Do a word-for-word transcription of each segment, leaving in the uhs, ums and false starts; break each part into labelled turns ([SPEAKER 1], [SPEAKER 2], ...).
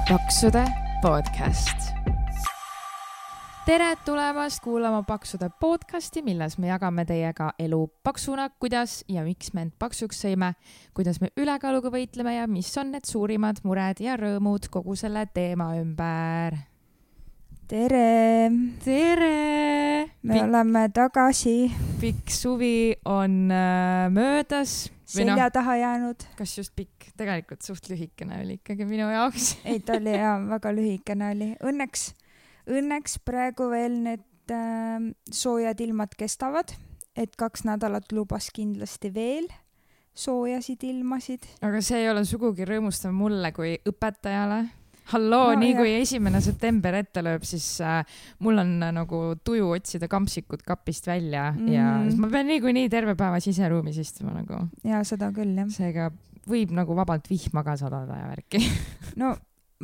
[SPEAKER 1] Paksude podcast. Tere tulemast kuulama Paksude podcasti, milles me jagame teiega elu paksuna, kuidas ja miks me end paksuks sõime, kuidas me ülekaaluga võitleme ja mis on need suurimad mured ja rõõmud kogu selle teema ümber.
[SPEAKER 2] Tere!
[SPEAKER 1] Tere!
[SPEAKER 2] Me Pik- oleme tagasi.
[SPEAKER 1] Pikk suvi on äh, möödas.
[SPEAKER 2] Selja taha jäänud.
[SPEAKER 1] Kas just pikk? Tegelikult suht lühikene oli ikkagi minu jaoks.
[SPEAKER 2] Ei, ta oli ja väga lühikene oli. Õnneks, õnneks praegu veel need äh, soojad ilmad kestavad, et kaks nädalat lubas kindlasti veel soojasid ilmasid.
[SPEAKER 1] Aga see ei ole sugugi rõõmustav mulle kui õpetajale. Halloo, no, nii jah. Kui esimene september ette lööb, siis äh, mul on äh, nagu tuju otsida kampsikud kapist välja mm. ja ma pean nii kui nii terve päeva siseruumis istuma nagu.
[SPEAKER 2] Ja seda küll, jah.
[SPEAKER 1] Seega võib nagu vabalt vihma ka sadada ja värki.
[SPEAKER 2] No,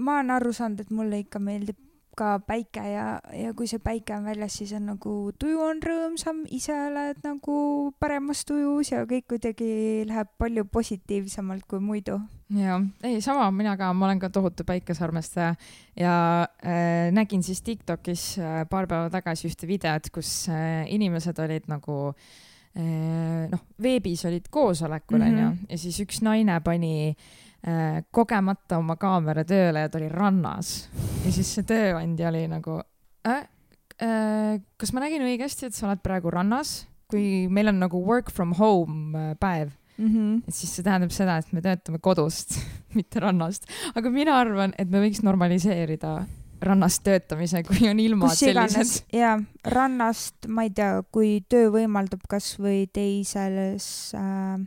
[SPEAKER 2] ma olen aru saanud, et mulle ikka meeldib ka päike ja, ja kui see päike on väljas, siis on nagu tuju on rõõmsam, ise oled nagu paremas tujus ja kõik kuidagi läheb palju positiivsemalt kui muidu.
[SPEAKER 1] Ja, ei, sama mina ka, ma olen ka tohutu päikesarmestaja ja äh, nägin siis TikTokis äh, paar päeva tagasi ühte videot, kus äh, inimesed olid nagu äh, noh, veebis olid koosolekul mm -hmm. ja siis üks naine pani äh, kogemata oma kaamera tööle ja ta oli rannas ja siis see tööandja oli nagu äh, äh, kas ma nägin õigesti, et sa oled praegu rannas, kui meil on nagu work from home äh, päev. Mm-hmm. Et siis see tähendab seda, et me töötame kodust, mitte rannast. Aga mina arvan, et me võiks normaliseerida rannast töötamise, kui on ilmad sellised.
[SPEAKER 2] Ja rannast, ma ei tea, kui töö võimaldab kas või teises, äh,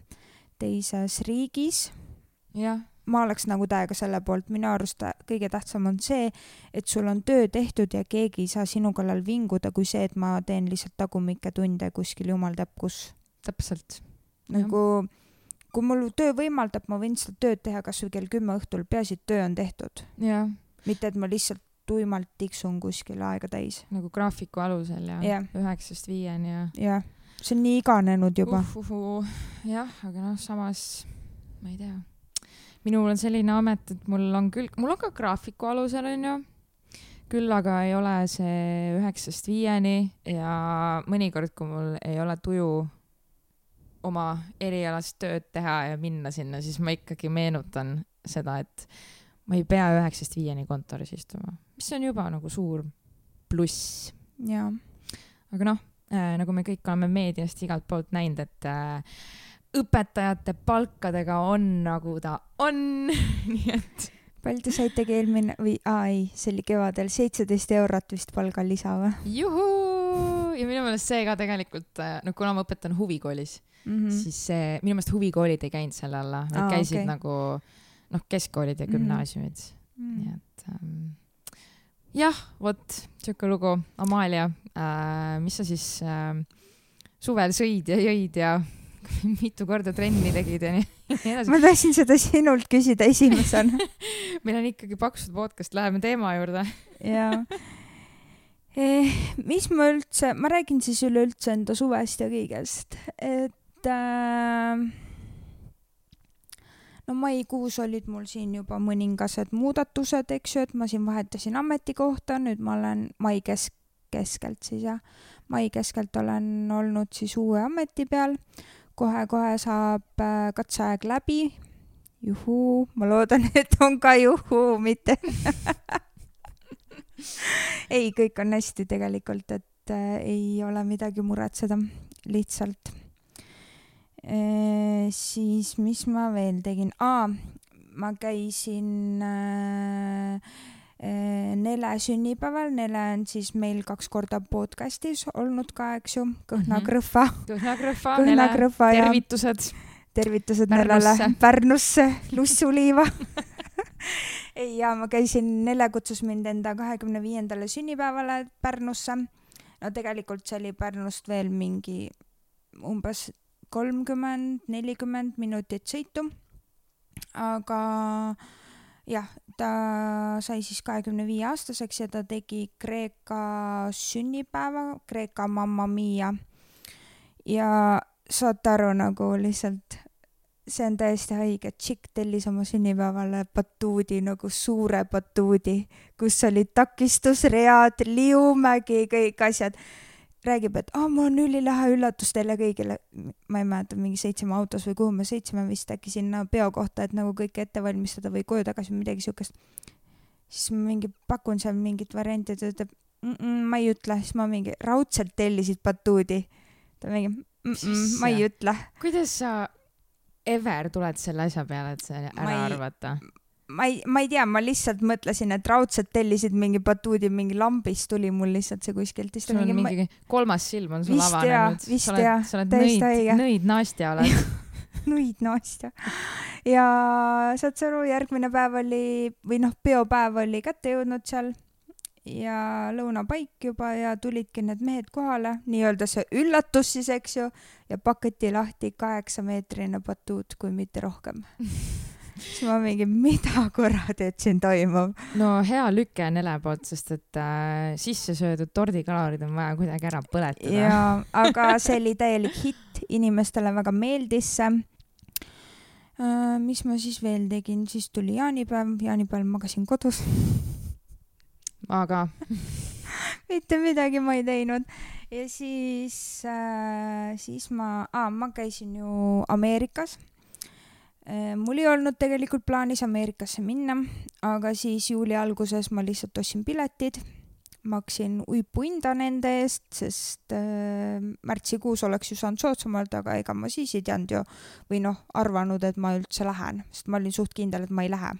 [SPEAKER 2] teises riigis.
[SPEAKER 1] Ja.
[SPEAKER 2] Ma oleks nagu täiega selle poolt. Minu arust kõige tähtsam on see, et sul on töö tehtud ja keegi ei saa sinu kallal vinguda, kui see, et ma teen lihtsalt tagumikke tunde kuskil jumal teab kus.
[SPEAKER 1] Täpselt.
[SPEAKER 2] Nagu, kui mul töö võimaldab, ma võin seda tööd teha kas või kell kümme õhtul, peaasi, et töö on tehtud.
[SPEAKER 1] Ja.
[SPEAKER 2] Mitte, et ma lihtsalt tuimalt tiksun kuskil aega täis.
[SPEAKER 1] Nagu graafiku alusel ja, ja. üheksast viieni ja...
[SPEAKER 2] Ja, see on nii iganenud juba.
[SPEAKER 1] Uhuhu. Jah, aga noh, samas, ma ei tea. Minul on selline amet, et mul on küll, mul on ka graafiku alusel, on ju. Küll aga ei ole see üheksast viieni ja mõnikord, kui mul ei ole tuju oma erialast tööd teha ja minna sinna, siis ma ikkagi meenutan seda, et ma ei pea üheksast viieni kontoris istuma, mis on juba nagu suur pluss.
[SPEAKER 2] Ja.
[SPEAKER 1] Aga noh, äh, nagu me kõik oleme meediast igalt poolt näinud, et äh, õpetajate palkadega on nagu ta on. Nii et...
[SPEAKER 2] Palju te saitegi eelmine, või aa, ei, see oli kevadel seitseteist eurot vist palgal lisa või?
[SPEAKER 1] Juhu! Ja minu meelest see ka tegelikult, no kuna ma õpetan huvikoolis, mm-hmm. siis see, minu meelest huvikoolid ei käinud selle alla. Nad ah, käisid okay. nagu noh, keskkoolid ja gümnaasiumid. Mm-hmm. Nii et ähm, jah, vot, siuke lugu. Amalia, äh, mis sa siis äh, suvel sõid ja jõid ja mitu korda trenni tegid ja nii.
[SPEAKER 2] Ma tahtsin seda sinult küsida esimesena.
[SPEAKER 1] Meil on ikkagi Paksud podcast, läheme teema juurde.
[SPEAKER 2] Jaa. Eh, mis ma üldse, ma räägin siis üleüldse enda suvest ja kõigest, et äh, no maikuus olid mul siin juba mõningased muudatused, eks ju, et ma siin vahetasin ametikohta, nüüd ma olen mai kesk, keskelt siis ja mai keskelt olen olnud siis uue ameti peal. Kohe-kohe saab äh, katseaeg läbi. Juhu, ma loodan, et on ka juhu, mitte. Ei, kõik on hästi tegelikult, et äh, ei ole midagi muretseda, lihtsalt. E, siis, mis ma veel tegin? Aa, ma käisin äh, Nele sünnipäeval. Nele on siis meil kaks korda podcastis olnud ka, eks ju, Kõhna-Krõhva.
[SPEAKER 1] Kõhna-Krõhva, Nele, tervitused.
[SPEAKER 2] Tervitused Nelele, Pärnusse, Lussuliiva. Ei, ja ma käisin, Nele kutsus mind enda kahekümne viiendale sünnipäevale Pärnusse. No tegelikult see oli Pärnust veel mingi umbes kolmkümmend nelikümmend minutit sõitu. Aga jah, ta sai siis kahekümne viie aastaseks ja ta tegi Kreeka sünnipäeva, Kreeka Mamma Mia. Ja saad aru nagu lihtsalt see on täiesti haige. Tšikk tellis oma sünnipäevale batuudi, nagu suure batuudi, kus olid takistusread, liumägi, kõik asjad. Räägib, et oh, mul on ülilahe üllatus teile kõigile. Ma ei mäleta, mingi seitseme autos või kuhu me seitseme vist äkki sinna peo kohta, et nagu kõike ette valmistada või koju tagasi midagi siukest. Siis ma mingi pakun seal mingit varianti, et ütleb, ma ei ütle. Siis ma mingi raudselt tellisid batuudi. Ta mingi, ma ei ütle.
[SPEAKER 1] Kuidas sa ever tuled selle asja peale, et see ära ei, arvata?
[SPEAKER 2] Ma ei, ma ei tea, ma lihtsalt mõtlesin, et raudselt tellisid mingi batuudi, mingi lambis tuli mul lihtsalt see kuskilt.
[SPEAKER 1] Sul on mingi ma... kolmas silm on sul avanenud.
[SPEAKER 2] Vist
[SPEAKER 1] sa oled,
[SPEAKER 2] ja,
[SPEAKER 1] sa oled nõid, nõid Nastja oled.
[SPEAKER 2] nõid Nastja. Ja saad sa aru, järgmine päev oli, või noh, peopäev oli kätte jõudnud seal ja lõunapaik juba ja tulidki need mehed kohale, nii-öelda see üllatus siis, eks ju, ja paketi lahti kaheksa meetrine batuut, kui mitte rohkem. Siis ma mingi, mida kurat, et siin toimub?
[SPEAKER 1] No hea lüke nele poolt, sest et äh, sisse söödud tordikalorid on vaja kuidagi ära põletada.
[SPEAKER 2] Ja, aga see oli täielik hitt, inimestele väga meeldis see. Äh, mis ma siis veel tegin? Siis tuli jaanipäev, jaanipäeval magasin kodus.
[SPEAKER 1] Aga?
[SPEAKER 2] Mitte midagi ma ei teinud. Ja siis, äh, siis ma, aa, ma käisin ju Ameerikas. Mul ei olnud tegelikult plaanis Ameerikasse minna, aga siis juuli alguses ma lihtsalt ostsin piletid, maksin uipuinda nende eest, sest äh, märtsikuus oleks ju saanud sootsamalt, aga ega ma siis ei teanud ju, või noh, arvanud, et ma üldse lähen, sest ma olin suht kindel, et ma ei lähe.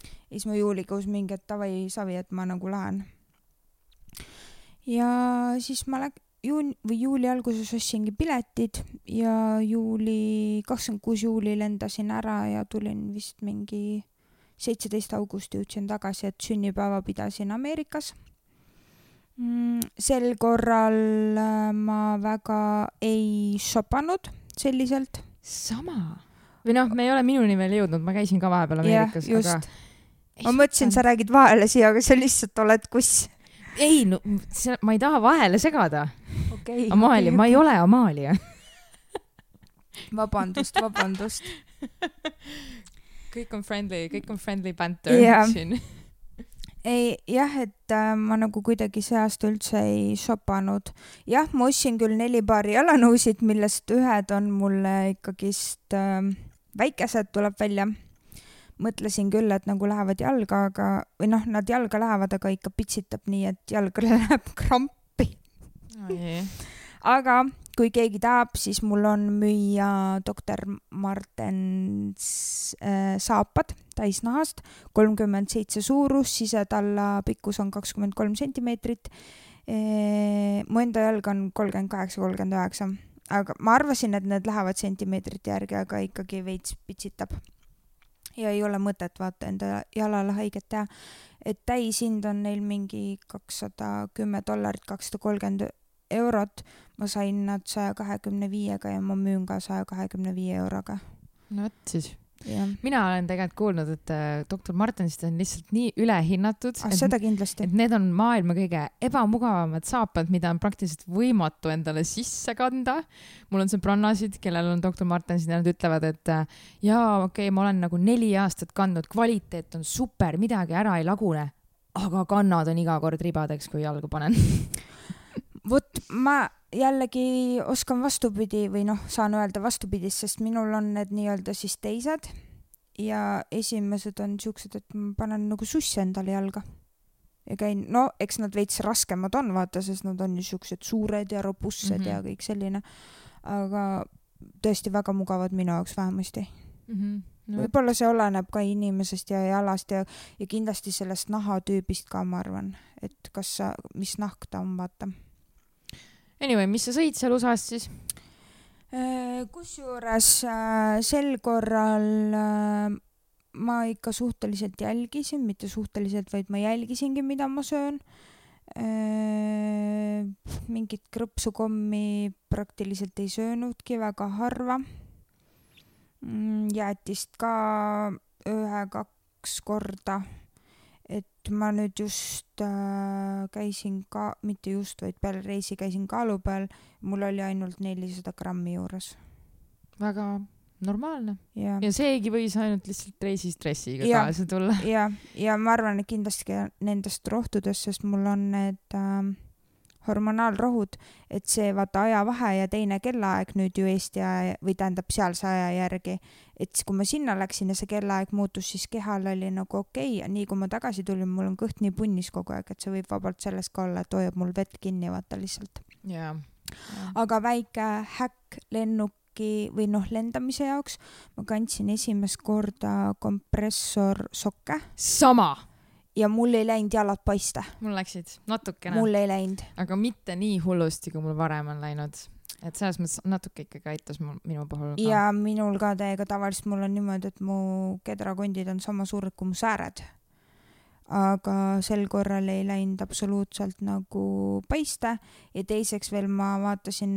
[SPEAKER 2] Ja siis ma juulikuus mingi, et tavai savi, et ma nagu lähen. Ja siis ma läk- Juun, või juuli alguses ostsingi piletid ja juuli, kakskümmend kuus juuli lendasin ära ja tulin vist mingi seitseteist augusti jõudsin tagasi, et sünnipäeva pidasin Ameerikas. Sel korral ma väga ei shopanud selliselt.
[SPEAKER 1] Sama. Või noh, me ei ole minuni veel jõudnud, ma käisin ka vahepeal Ameerikas.
[SPEAKER 2] Ja, just. Aga... Ma mõtlesin, sa räägid vahele siia, aga sa lihtsalt oled kuss.
[SPEAKER 1] Ei, no, ma ei taha vahele segada.
[SPEAKER 2] Okay,
[SPEAKER 1] Amaalia, okay, ma ei ole Amaalia.
[SPEAKER 2] Vabandust, vabandust.
[SPEAKER 1] Kõik on friendly, kõik on friendly banter
[SPEAKER 2] yeah.
[SPEAKER 1] siin.
[SPEAKER 2] Ei, jah, et äh, ma nagu kuidagi see aasta üldse ei shopanud. Jah, ma ostsin küll neli paari jalanõusid, millest ühed on mulle ikkagist äh, väikesed tuleb välja. Mõtlesin küll, et nagu lähevad jalga, aga, või noh, nad jalga lähevad, aga ikka pitsitab nii, et jalga läheb krampi.
[SPEAKER 1] Oh, yeah.
[SPEAKER 2] Aga kui keegi tahab, siis mul on müüa doktor Martens äh, saapad täisnahast, kolmkümmend seitse suurus, sisetalla pikkus on kakskümmend kolm sentimeetrit. E, mu enda jalg on kolmkümmend kaheksa kolmkümmend üheksa. Aga ma arvasin, et need lähevad sentimeetrite järgi, aga ikkagi veits pitsitab. Ja ei ole mõtet vaata enda jalale haiget teha, et täishind on neil mingi kakssada kümme dollarit, kakssada kolmkümmend eurot. Ma sain nad saja kahekümne viiega ja ma müün ka saja kahekümne viie euroga.
[SPEAKER 1] No et siis.
[SPEAKER 2] Ja.
[SPEAKER 1] Mina olen tegelikult kuulnud, et doktor Martensist on lihtsalt nii ülehinnatud,
[SPEAKER 2] ah, et, seda kindlasti.
[SPEAKER 1] et need on maailma kõige ebamugavamad saapad, mida on praktiliselt võimatu endale sisse kanda. Mul on sõbrannasid, kellel on doktor Martensid ja nad ütlevad, et jaa, okei, okay, ma olen nagu neli aastat kandnud, kvaliteet on super, midagi ära ei lagune, aga kannad on iga kord ribadeks, kui jalgu panen.
[SPEAKER 2] Vot ma jällegi oskan vastupidi või noh, saan öelda vastupidist, sest minul on need nii-öelda siis teised ja esimesed on siuksed, et ma panen nagu susse endale jalga ja käin, no eks nad veits raskemad on, vaata, sest nad on ju siuksed suured ja robustsed mm-hmm. ja kõik selline, aga tõesti väga mugavad minu jaoks vähemasti. Mm-hmm. No. Võib-olla see oleneb ka inimesest ja jalast ja, ja kindlasti sellest nahatüübist ka, ma arvan, et kas sa, mis nahk ta on, vaata.
[SPEAKER 1] Anyway, mis sa sõid seal U S A-s siis?
[SPEAKER 2] Kusjuures sel korral ma ikka suhteliselt jälgisin, mitte suhteliselt, vaid ma jälgisingi, mida ma söön. Mingit krõpsukommi praktiliselt ei söönudki, väga harva. Jäätist ka ühe-kaks korda. Et ma nüüd just äh, käisin ka, mitte just, vaid peale reisi käisin kaalu peal. Mul oli ainult nelisada grammi juures.
[SPEAKER 1] Väga normaalne.
[SPEAKER 2] Ja,
[SPEAKER 1] ja seegi võis ainult lihtsalt reisistressiga
[SPEAKER 2] ja,
[SPEAKER 1] kaasa tulla.
[SPEAKER 2] Ja, ja ma arvan, et kindlasti nendest rohtudest, sest mul on need äh, hormonaalrohud, et see vaata ajavahe ja teine kellaaeg nüüd ju Eesti aja või tähendab sealse aja järgi, et kui ma sinna läksin ja see kellaaeg muutus, siis kehal oli nagu okei okay. Nii kui ma tagasi tulin, mul on kõht nii punnis kogu aeg, et see võib vabalt sellest ka olla, et hoiab mul vett kinni, vaata lihtsalt.
[SPEAKER 1] Yeah.
[SPEAKER 2] Yeah. Aga väike häkk lennuki või noh, lendamise jaoks ma kandsin esimest korda kompressorsokke.
[SPEAKER 1] Sama!
[SPEAKER 2] Ja mul ei läinud jalad paista.
[SPEAKER 1] Mul läksid natukene.
[SPEAKER 2] Mul ei läinud.
[SPEAKER 1] Aga mitte nii hullusti, kui mul varem on läinud. Et selles mõttes natuke ikkagi aitas mul, minu puhul ka.
[SPEAKER 2] Ja minul ka täiega tavaliselt mul on niimoodi, et mu kedrakondid on sama suured kui mu sääred. Aga sel korral ei läinud absoluutselt nagu paista ja teiseks veel ma vaatasin,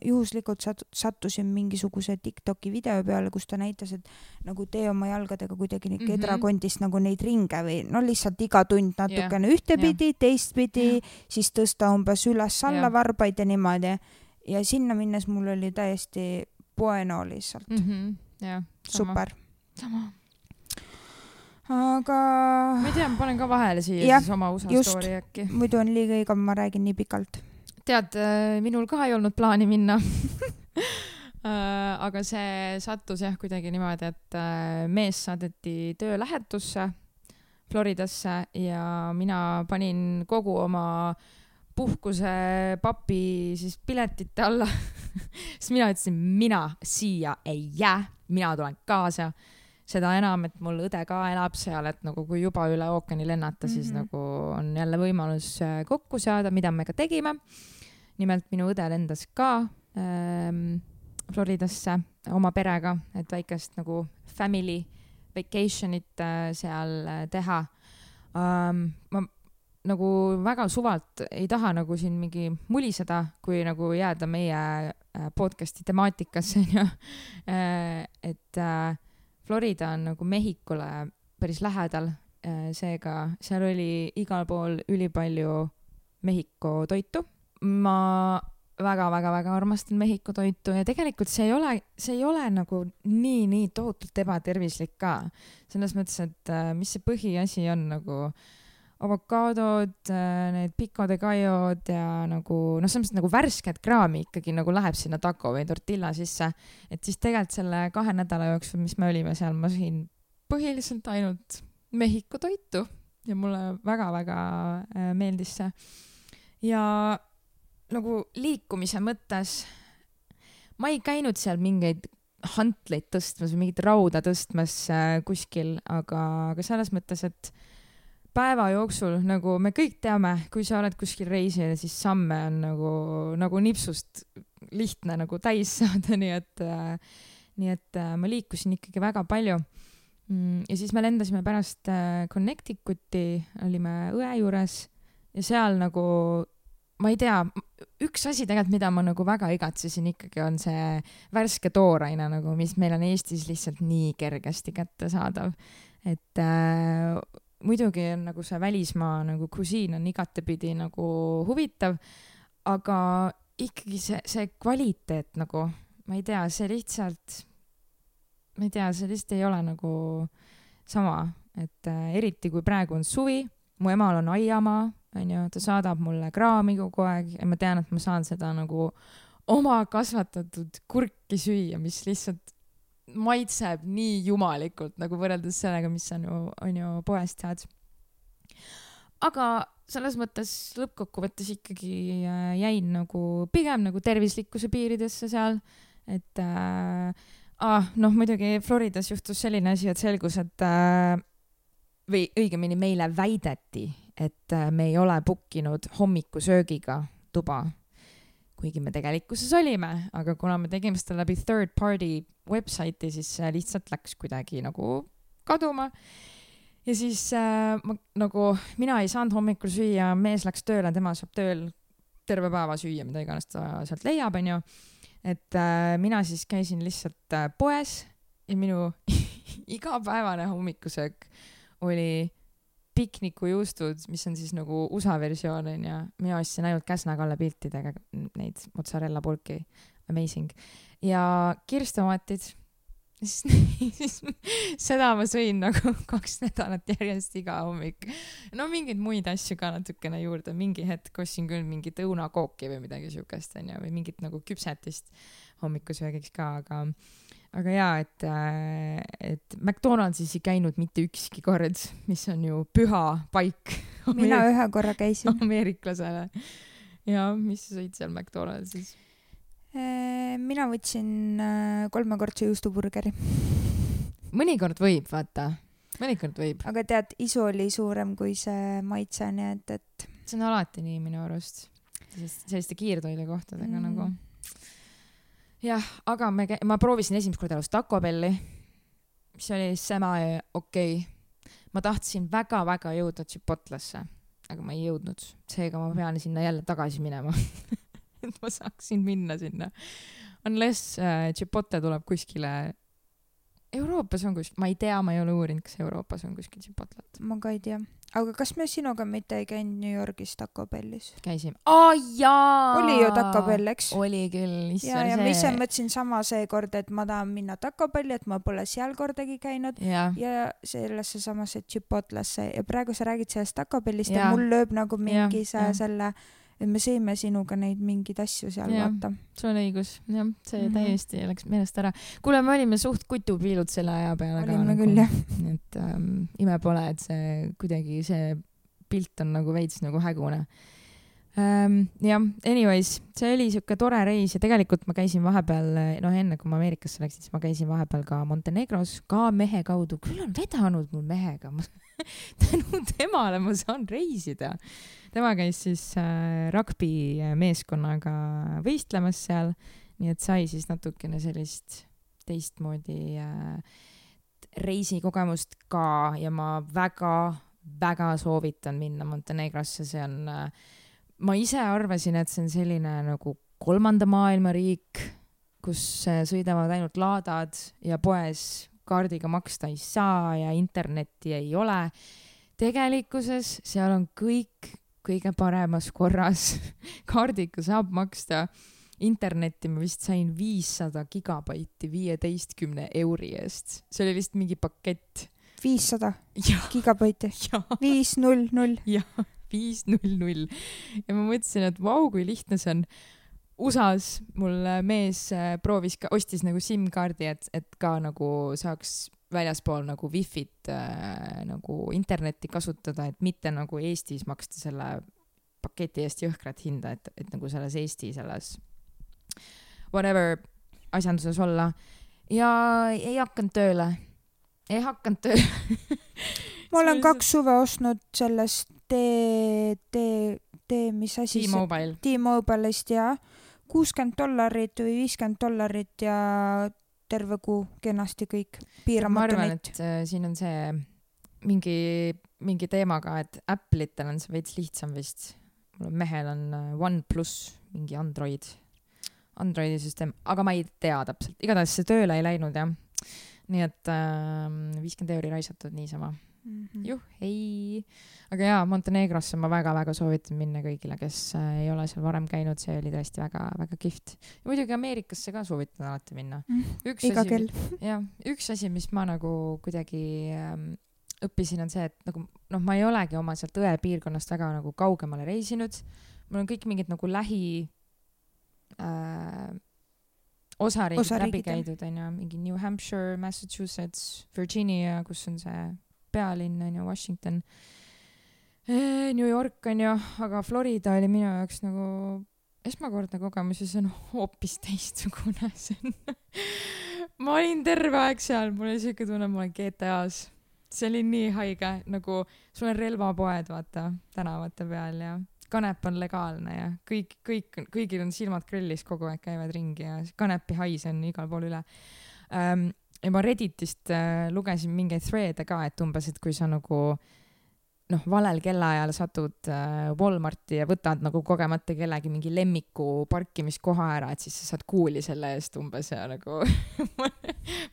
[SPEAKER 2] juhuslikult sat- sattusin mingisuguse TikToki video peale, kus ta näitas, et nagu tee oma jalgadega kuidagi mm -hmm. kedrakondist nagu neid ringe või no lihtsalt iga tund natukene yeah. ühtepidi, yeah. teistpidi, yeah. siis tõsta umbes üles-alla yeah. varbaid ja niimoodi. Ja sinna minnes mul oli täiesti bueno lihtsalt.
[SPEAKER 1] Mm -hmm. yeah, sama.
[SPEAKER 2] Super.
[SPEAKER 1] Sama.
[SPEAKER 2] Aga...
[SPEAKER 1] Ma ei tea, ma panen ka vahele siia
[SPEAKER 2] ja,
[SPEAKER 1] siis oma U S A
[SPEAKER 2] just,
[SPEAKER 1] story äkki.
[SPEAKER 2] Muidu on liiga igav, ma räägin nii pikalt.
[SPEAKER 1] Tead, minul ka ei olnud plaani minna. Aga see sattus jah kuidagi niimoodi, et mees saadeti töölähetusse Floridasse ja mina panin kogu oma puhkuse papi siis piletite alla. Siis mina ütlesin, mina siia ei jää, mina tulen kaasa. Seda enam, et mul õde ka elab seal, et nagu kui juba üle ookeani lennata, siis mm-hmm. nagu on jälle võimalus kokku saada, mida me ka tegime. Nimelt minu õde lendas ka ähm, Floridasse oma perega, et väikest nagu family vacationit äh, seal teha. Ähm, ma nagu väga suvalt ei taha nagu siin mingi muliseda, kui nagu jääda meie podcasti temaatikasse, et äh, Florida on nagu Mehhikule päris lähedal, seega seal oli igal pool ülipalju Mehhiko toitu. Ma väga-väga-väga armastan Mehhiko toitu ja tegelikult see ei ole, see ei ole nagu nii, nii tohutult ebatervislik ka. Selles mõttes, et mis see põhiasi on nagu avokaadod, need pico de gallo ja nagu, noh, selles mõttes nagu värsket kraami ikkagi nagu läheb sinna taco või tortilla sisse. Et siis tegelikult selle kahe nädala jooksul, mis me olime seal, ma sõin põhiliselt ainult Mehhiko toitu ja mulle väga-väga meeldis see. Ja nagu liikumise mõttes ma ei käinud seal mingeid hantleid tõstmas või mingit rauda tõstmas kuskil, aga, aga selles mõttes, et päeva jooksul, nagu me kõik teame, kui sa oled kuskil reisil, siis samme on nagu, nagu nipsust lihtne nagu täis saada, nii et, äh, nii et äh, ma liikusin ikkagi väga palju. Mm, ja siis me lendasime pärast äh, Connecticuti, olime õe juures ja seal nagu, ma ei tea, üks asi tegelikult, mida ma nagu väga igatsesin ikkagi on see värske tooraine, nagu, mis meil on Eestis lihtsalt nii kergesti kätte saadav. Et äh, muidugi on nagu see välismaa nagu kusiin on igatepidi nagu huvitav, aga ikkagi see, see kvaliteet nagu, ma ei tea, see lihtsalt, ma ei tea, see lihtsalt ei ole nagu sama, et äh, eriti kui praegu on suvi, mu emal on aiamaa, on ju, ta saadab mulle kraami kogu aeg ja ma tean, et ma saan seda nagu oma kasvatatud kurki süüa, mis lihtsalt maitseb nii jumalikult nagu võrreldes sellega, mis on ju, on ju poest saad. Aga selles mõttes lõppkokkuvõttes ikkagi jäin nagu pigem nagu tervislikkuse piiridesse seal, et äh, ah, noh, muidugi Floridas juhtus selline asi, et selgus, et äh, või õigemini meile väideti, et äh, me ei ole bookinud hommikusöögiga tuba, kuigi me tegelikkuses olime, aga kuna me tegime seda läbi third party website'i, siis lihtsalt läks kuidagi nagu kaduma. Ja siis äh, ma, nagu mina ei saanud hommikul süüa, mees läks tööle, tema saab tööl terve päeva süüa, mida iganes ta sealt leiab, on ju. Et äh, mina siis käisin lihtsalt äh, poes ja minu igapäevane hommikusöök oli piknikujuustud, mis on siis nagu U S A versioon, on ja mina ostsin ainult Käsna Kalle piltidega neid mozzarella pulki, amazing. Ja kirstomatid siis seda ma sõin nagu kaks nädalat järjest iga hommik. No mingeid muid asju ka natukene juurde, mingi hetk ostsin küll mingit õunakooki või midagi siukest onju, või mingit nagu küpsetist hommikusöögiks ka, aga aga jaa, et, et McDonaldsis ei käinud mitte ükski kord, mis on ju püha paik.
[SPEAKER 2] Mina Ameerik- ühe korra käisin.
[SPEAKER 1] Ameeriklasele. Ja mis sa sõid seal McDonaldsis?
[SPEAKER 2] Mina võtsin kolmekordse juustuburgeri.
[SPEAKER 1] Mõnikord võib, vaata. Mõnikord võib.
[SPEAKER 2] Aga tead, isu oli suurem kui see maitse, nii et, et...
[SPEAKER 1] See on alati nii minu arust. Selliste kiirtoide kohtadega mm. nagu. Jah, aga me, ma proovisin esimest korda elus Taco Belli, mis oli sama okei. Okay. Ma tahtsin väga-väga jõuda Chipotlasse, aga ma ei jõudnud. Seega ma pean sinna jälle tagasi minema. Et ma saaksin minna sinna. Unless äh, Chipotle tuleb kuskile... Euroopas on kuskil... Ma ei tea, ma ei ole uurinud, kas Euroopas on kuskil Chipotlet.
[SPEAKER 2] Ma ka ei tea. Aga kas me sinuga mitte ei käinud New Yorgis Taco Bellis?
[SPEAKER 1] Käisime. Aa, jaa!
[SPEAKER 2] Oli ju Taco Bell, eks?
[SPEAKER 1] Oli küll.
[SPEAKER 2] Ja, ja ma ise mõtlesin sama see kord, et ma tahan minna Taco Belli, et ma pole seal kordagi käinud. Ja, ja sellesse samasse Chipotlesse. Ja praegu sa räägid sellest Taco Bellist ja, ja mul lööb nagu mingi ja, see, ja. selle... et me sõime sinuga neid mingeid asju seal ja, vaata.
[SPEAKER 1] Sul on õigus. Jah, see mm-hmm. täiesti läks meelest ära. Kuule, me olime suht kutupiilud selle aja peale.
[SPEAKER 2] Olime ka, küll, jah.
[SPEAKER 1] Et ähm, ime pole, et see kuidagi see pilt on nagu veits nagu hägune. Ähm, jah, anyways, see oli siuke tore reis ja tegelikult ma käisin vahepeal, noh enne kui ma Ameerikasse läksin, siis ma käisin vahepeal ka Montenegros, ka mehe kaudu. Küll on vedanud mul mehega. Tänu temale ma saan reisida. Tema käis siis äh, rugby meeskonnaga võistlemas seal, nii et sai siis natukene sellist teistmoodi äh, reisikogemust ka ja ma väga, väga soovitan minna Montenegrosse, see on äh, ma ise arvasin, et see on selline nagu kolmanda maailma riik, kus äh, sõidavad ainult laadad ja poes kaardiga maksta ei saa ja internetti ei ole. Tegelikkuses seal on kõik kõige paremas korras. Kaardiga saab maksta. Internetti ma vist sain viissada gigabaiti viieteistkümne euri eest. See oli vist mingi pakett.
[SPEAKER 2] viissada gigabaiti? viis null null.
[SPEAKER 1] Jah, viis null null. Ja ma mõtlesin, et vau, kui lihtne see on. U S A-s mul mees proovis ka, ostis nagu SIM-kaardi, et, et ka nagu saaks väljaspool nagu Wi-Fit äh, nagu internetti kasutada, et mitte nagu Eestis maksta selle paketi eest jõhkrat hinda, et, et nagu selles Eesti selles whatever asjanduses olla. Ja ei hakanud tööle. Ei hakanud tööle.
[SPEAKER 2] Ma olen kaks suve ostnud sellest T, T, T, mis asi see?
[SPEAKER 1] T-Mobile.
[SPEAKER 2] T-Mobile'ist ja kuuskümmend dollarit või viiskümmend dollarit ja terve kuu kenasti kõik. Piiramatu
[SPEAKER 1] ma arvan, et äh, siin on see mingi, mingi teemaga, et Apple'itel on see veits lihtsam vist. Mul mehel on OnePlus, mingi Android, Androidi süsteem, aga ma ei tea täpselt. Igatahes see tööle ei läinud, jah. Nii et äh, viiskümmend euri raisatud niisama. Mm-hmm. Juh, ei. Aga jaa, Montenegrosse ma väga-väga soovitan minna kõigile, kes äh, ei ole seal varem käinud. See oli tõesti väga-väga kihvt. Ja muidugi Ameerikasse ka soovitan alati minna. Üks
[SPEAKER 2] Iga
[SPEAKER 1] asi,
[SPEAKER 2] kell.
[SPEAKER 1] jah, üks asi, mis ma nagu kuidagi ähm, õppisin, on see, et nagu, noh, ma ei olegi oma sealt õe piirkonnast väga nagu kaugemale reisinud. Mul on kõik mingid nagu lähi äh, osariigid, osariigid läbi käidud, on ju, mingi New Hampshire, Massachusetts, Virginia, kus on see pealinn, on ju, Washington, New York, on ju, aga Florida oli minu jaoks nagu esmakordne kogemus ja see on hoopis teistsugune. Ma olin terve aeg seal, mul oli siuke tunne, ma olen G T A-s. See oli nii haige, nagu sul on relvapoed, vaata, tänavate peal ja kanep on legaalne ja kõik, kõik, kõigil on silmad grillis, kogu aeg käivad ringi ja kanepi hais on igal pool üle. Um, ja ma Redditist äh, lugesin mingeid thread'e ka, et umbes, et kui sa nagu noh, valel kellaajal satud äh, Walmarti ja võtad nagu kogemata kellegi mingi lemmiku parkimiskoha ära, et siis sa saad kuuli selle eest umbes ja nagu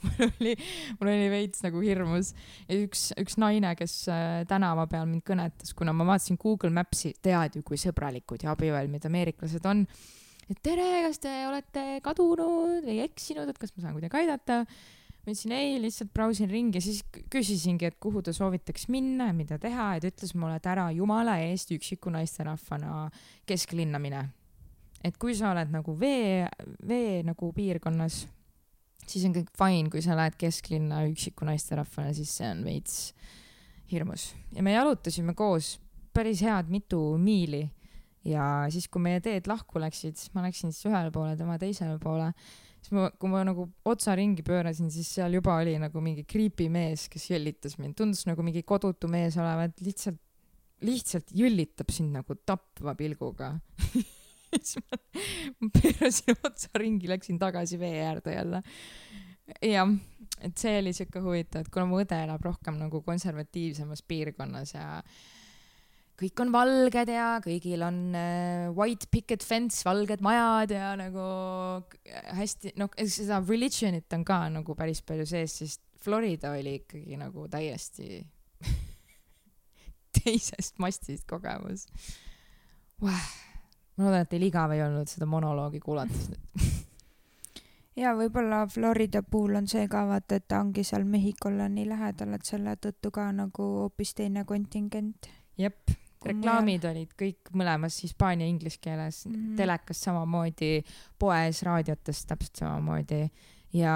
[SPEAKER 1] mul oli, mul oli veits nagu hirmus. Ja üks, üks naine, kes äh, tänava peal mind kõnetas, kuna ma vaatasin Google Mapsi, tead ju, kui sõbralikud ja abivalmid ameeriklased on. Et tere, kas te olete kadunud või eksinud, et kas ma saan kuidagi aidata? ma ütlesin ei, lihtsalt brausin ringi ja siis küsisingi, et kuhu ta soovitaks minna ja mida teha, et ütles mulle, et ära jumala eest üksiku naisterahvana kesklinna mine. Et kui sa oled nagu vee, vee nagu piirkonnas, siis on kõik fine, kui sa lähed kesklinna üksiku naisterahvana, siis see on veits hirmus. Ja me jalutasime koos päris head mitu miili ja siis, kui meie teed lahku läksid, ma läksin siis ühele poole, tema teisele poole, siis ma, kui ma nagu otsa ringi pöörasin, siis seal juba oli nagu mingi creepy mees, kes jõllitas mind. Tundus nagu mingi kodutu mees olevat, lihtsalt, lihtsalt jõllitab sind nagu tapva pilguga. siis ma, ma pöörasin otsa ringi, läksin tagasi vee äärde jälle. Ja, et see oli siuke huvitav, et kuna mu õde elab rohkem nagu konservatiivsemas piirkonnas ja kõik on valged ja kõigil on uh, white picket fence, valged majad ja nagu hästi, noh, seda religionit on ka nagu päris palju sees, siis Florida oli ikkagi nagu täiesti teisest mastist kogemus. Wow. Ma loodan, et teil igav ei olnud seda monoloogi kuulates nüüd.
[SPEAKER 2] Ja võib-olla Florida puhul on see ka vaata, et ta ongi seal Mehhikolle nii lähedal, et selle tõttu ka nagu hoopis teine kontingent.
[SPEAKER 1] Jep, reklaamid olid kõik mõlemas hispaania ja inglise keeles, mm-hmm. telekas samamoodi, poes, raadiotes täpselt samamoodi ja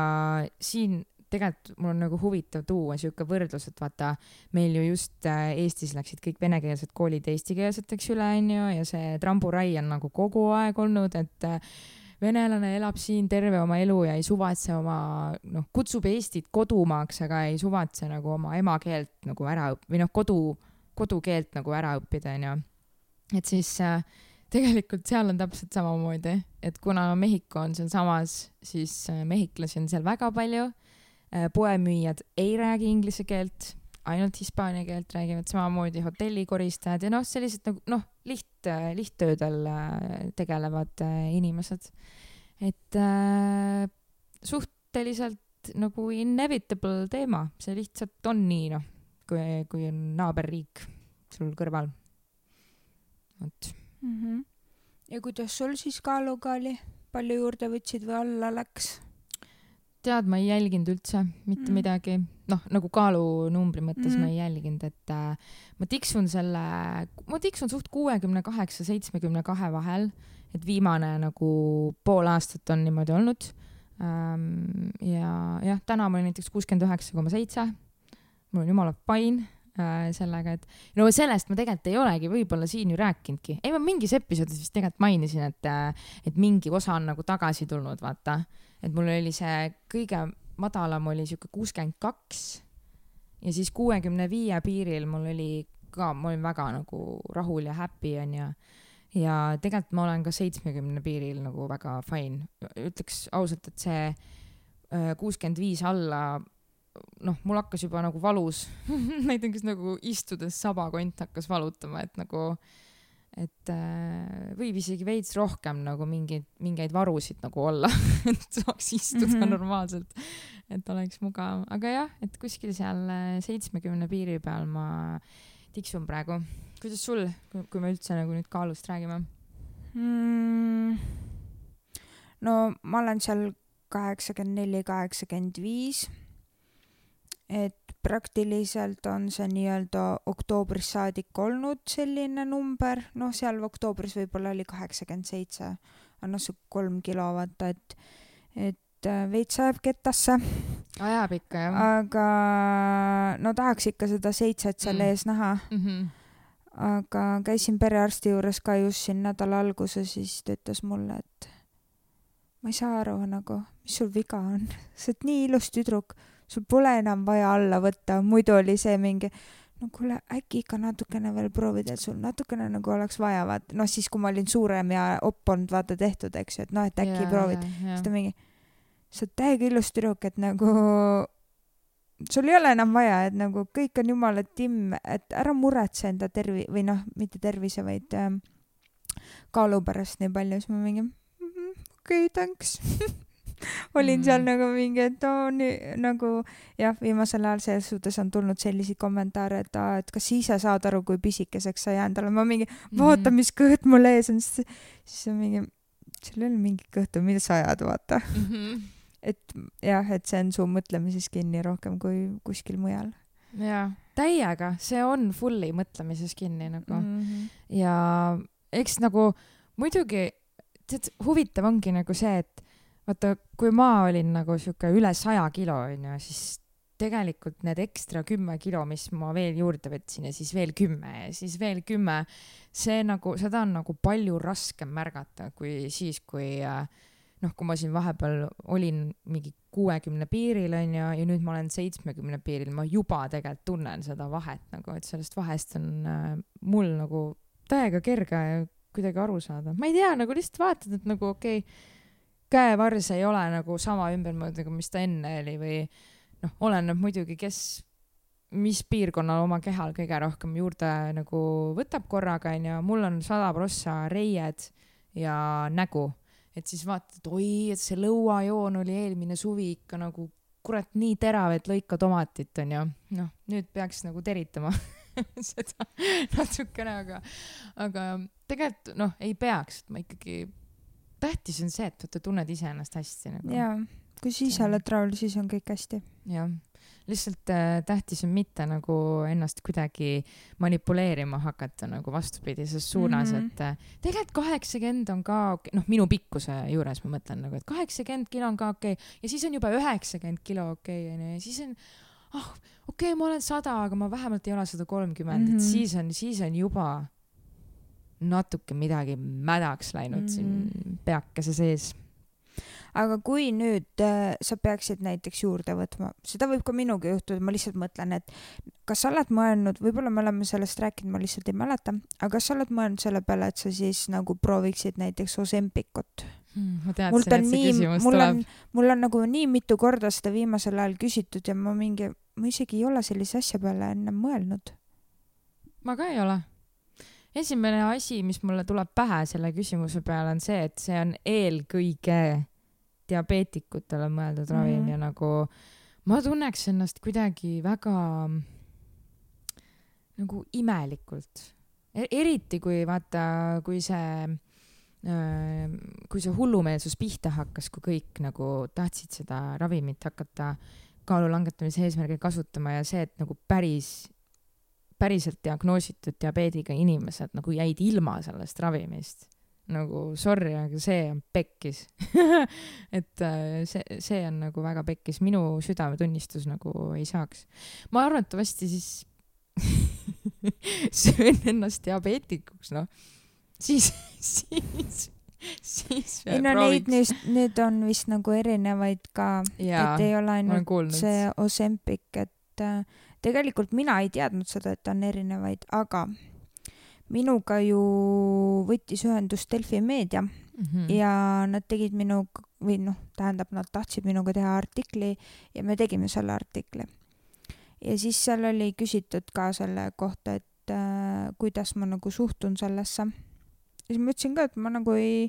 [SPEAKER 1] siin tegelikult mul on nagu huvitav tuua siuke võrdlus, et vaata, meil ju just Eestis läksid kõik venekeelsed koolid eestikeelseteks üle, onju, ja see tramburai on nagu kogu aeg olnud, et venelane elab siin terve oma elu ja ei suvatse oma, noh, kutsub Eestit kodumaaks, aga ei suvatse nagu oma emakeelt nagu ära õppida, või noh, kodu, kodukeelt nagu ära õppida, onju. Et siis äh, tegelikult seal on täpselt samamoodi, et kuna Mehhiko on seal samas, siis äh, mehhiklasi on seal väga palju. Poemüüjad ei räägi inglise keelt, ainult hispaania keelt räägivad, samamoodi hotellikoristajad ja noh, sellised nagu, noh, liht, lihttöödel tegelevad inimesed. Et äh, suhteliselt nagu inevitable teema, see lihtsalt on nii, noh, kui, kui on naaberriik sul kõrval. Vot.
[SPEAKER 2] Mm-hmm. Ja kuidas sul siis kaaluga oli? Palju juurde võtsid või alla läks?
[SPEAKER 1] Tead, ma ei jälginud üldse mitte mm. midagi. Noh, nagu kaalunumbri mõttes mm. ma ei jälginud, et äh, ma tiksun selle, ma tiksun suht kuuekümne kaheksa seitsmekümne kahe vahel, et viimane nagu pool aastat on niimoodi olnud. Ähm, ja jah, täna ma olin näiteks kuuskümmend üheksa koma seitse. Mul on jumala fine äh, sellega, et no sellest ma tegelikult ei olegi võib-olla siin ju rääkinudki. Ei, ma mingis episoodis vist tegelikult mainisin, et, et mingi osa on nagu tagasi tulnud, vaata. Et mul oli see kõige madalam oli siuke kuuskümmend kaks ja siis kuuekümne viie piiril mul oli ka, ma olin väga nagu rahul ja happy on ja, ja tegelikult ma olen ka seitsmekümne piiril nagu väga fine. Ütleks ausalt, et see kuuskümmend viis alla, noh, mul hakkas juba nagu valus. Näiteks nagu istudes sabakont hakkas valutama, et nagu et äh, võib isegi veits rohkem nagu mingeid, mingeid varusid nagu olla, et saaks istuda mm-hmm. normaalselt, et oleks mugav. Aga jah, et kuskil seal seitsmekümne piiri peal ma tiksun praegu. Kuidas sul, kui me üldse nagu nüüd kaalust räägime?
[SPEAKER 2] Mm, no ma olen seal kaheksakümmend neli kaheksakümmend viis, et praktiliselt on see nii-öelda oktoobris saadik olnud selline number, noh seal oktoobris võib-olla oli kaheksakümmend seitse, on see kolm kilo vaata, et, et veits ajab kettasse.
[SPEAKER 1] Ajab ikka, jah.
[SPEAKER 2] Aga no tahaks ikka seda seitset seal mm. ees näha. Mm-hmm. Aga käisin perearsti juures ka just siin nädala alguses, siis ta ütles mulle, et ma ei saa aru nagu, mis sul viga on. Sa oled nii ilus tüdruk. Sul pole enam vaja alla võtta, muidu oli see mingi, no kuule, äkki ikka natukene veel proovida, et sul natukene nagu oleks vaja, vaata, noh siis kui ma olin suurem ja oppond vaata tehtud, eks ju, et noh, et äkki yeah, proovid, yeah. Siis ta mingi, sa oled täiega ilus tüdruk, et nagu sul ei ole enam vaja, et nagu kõik on jumala timm, et ära muretse enda tervi- või noh, mitte tervise, vaid ähm, kaalu pärast nii palju, siis ma mingi, mm-hmm, okei, okay, thanks. olin mm. seal nagu mingi, et no, nii, nagu jah, viimasel ajal selles suhtes on tulnud selliseid kommentaare, et, aa, et kas ise saad aru, kui pisikeseks sa jäänud olema, ma mingi, vaata, mis kõht mul ees on, siis, siis on mingi, sul ei ole mingi kõhtu, mida sa ajad, vaata. Mm-hmm. et jah, et see on su mõtlemises kinni rohkem kui kuskil mujal.
[SPEAKER 1] Jaa, täiega, see on fully mõtlemises kinni nagu mm. -hmm. ja eks nagu muidugi, tead, huvitav ongi nagu see, et vaata, kui ma olin nagu siuke üle saja kilo, onju, siis tegelikult need ekstra kümme kilo, mis ma veel juurde võtsin ja siis veel kümme ja siis veel kümme, see nagu, seda on nagu palju raskem märgata kui siis, kui noh, kui ma siin vahepeal olin mingi kuuekümne piiril onju ja nüüd ma olen seitsmekümne piiril, ma juba tegelikult tunnen seda vahet nagu, et sellest vahest on äh, mul nagu täiega kerge kuidagi aru saada. Ma ei tea, nagu lihtsalt vaatad, et nagu okei okay,, käevars ei ole nagu sama ümbermõõd nagu mis ta enne oli või noh, oleneb muidugi, kes, mis piirkonnal oma kehal kõige rohkem juurde nagu võtab korraga, onju. Mul on sada prossa reied ja nägu, et siis vaatad, oi, et see lõuajoon oli eelmine suvi ikka nagu kurat nii terav, et lõika tomatit, onju. Noh, nüüd peaks nagu teritama seda natukene, aga, aga tegelikult noh, ei peaks, ma ikkagi, tähtis on see, et sa tunned ise ennast hästi nagu.
[SPEAKER 2] Jaa. Kui siis oled rahul, siis on kõik hästi.
[SPEAKER 1] Jah, lihtsalt äh, tähtis on mitte nagu ennast kuidagi manipuleerima hakata nagu vastupidises suunas, mm -hmm. et äh, tegelikult kaheksakümmend on ka okei, noh, minu pikkuse juures ma mõtlen nagu, et kaheksakümmend kilo on ka okei okay. Ja siis on juba üheksakümmend kilo okei okay, ja siis on, ah, okei okay,, ma olen sada, aga ma vähemalt ei ole sada kolmkümmend, mm -hmm. et siis on, siis on juba natuke midagi mädaks läinud mm -hmm. siin peakese sees.
[SPEAKER 2] Aga kui nüüd äh, sa peaksid näiteks juurde võtma, seda võib ka minuga juhtuda, ma lihtsalt mõtlen, et kas sa oled mõelnud, võib-olla me oleme sellest rääkinud, ma lihtsalt ei mäleta, aga kas sa oled mõelnud selle peale, et sa siis nagu prooviksid näiteks Ozempicut?
[SPEAKER 1] Hmm, ma teadsin, et see küsimus
[SPEAKER 2] mul
[SPEAKER 1] tuleb.
[SPEAKER 2] On, mul on nagu nii mitu korda seda viimasel ajal küsitud ja ma mingi, ma isegi ei ole sellise asja peale enne mõelnud.
[SPEAKER 1] Ma ka ei ole. Esimene asi, mis mulle tuleb pähe selle küsimuse peale on see, et see on eelkõige diabeetikutele mõeldud mm-hmm. ravim ja nagu ma tunneks ennast kuidagi väga nagu imelikult. Eriti kui vaata, kui see kui see hullumeelsus pihta hakkas, kui kõik nagu tahtsid seda ravimit hakata kaalu langetamise eesmärgil kasutama ja see, et nagu päris päriselt diagnoositud diabeediga inimesed nagu jäid ilma sellest ravimist. Nagu sorry, aga see on pekkis. et see, see on nagu väga pekkis. Minu südametunnistus nagu ei saaks. Ma arvatavasti siis söön ennast diabeetikuks, noh. Siis, siis, siis
[SPEAKER 2] ei no neid nüüd, nüüd on vist nagu erinevaid ka, ja, et ei ole ainult see Ozempic, et tegelikult mina ei teadnud seda, et on erinevaid, aga minuga ju võttis ühendust Delfi Meedia mm-hmm. ja nad tegid minu, või noh, tähendab, nad tahtsid minuga teha artikli ja me tegime selle artikli. Ja siis seal oli küsitud ka selle kohta, et äh, kuidas ma nagu suhtun sellesse. Ja siis ma ütlesin ka, et ma nagu ei,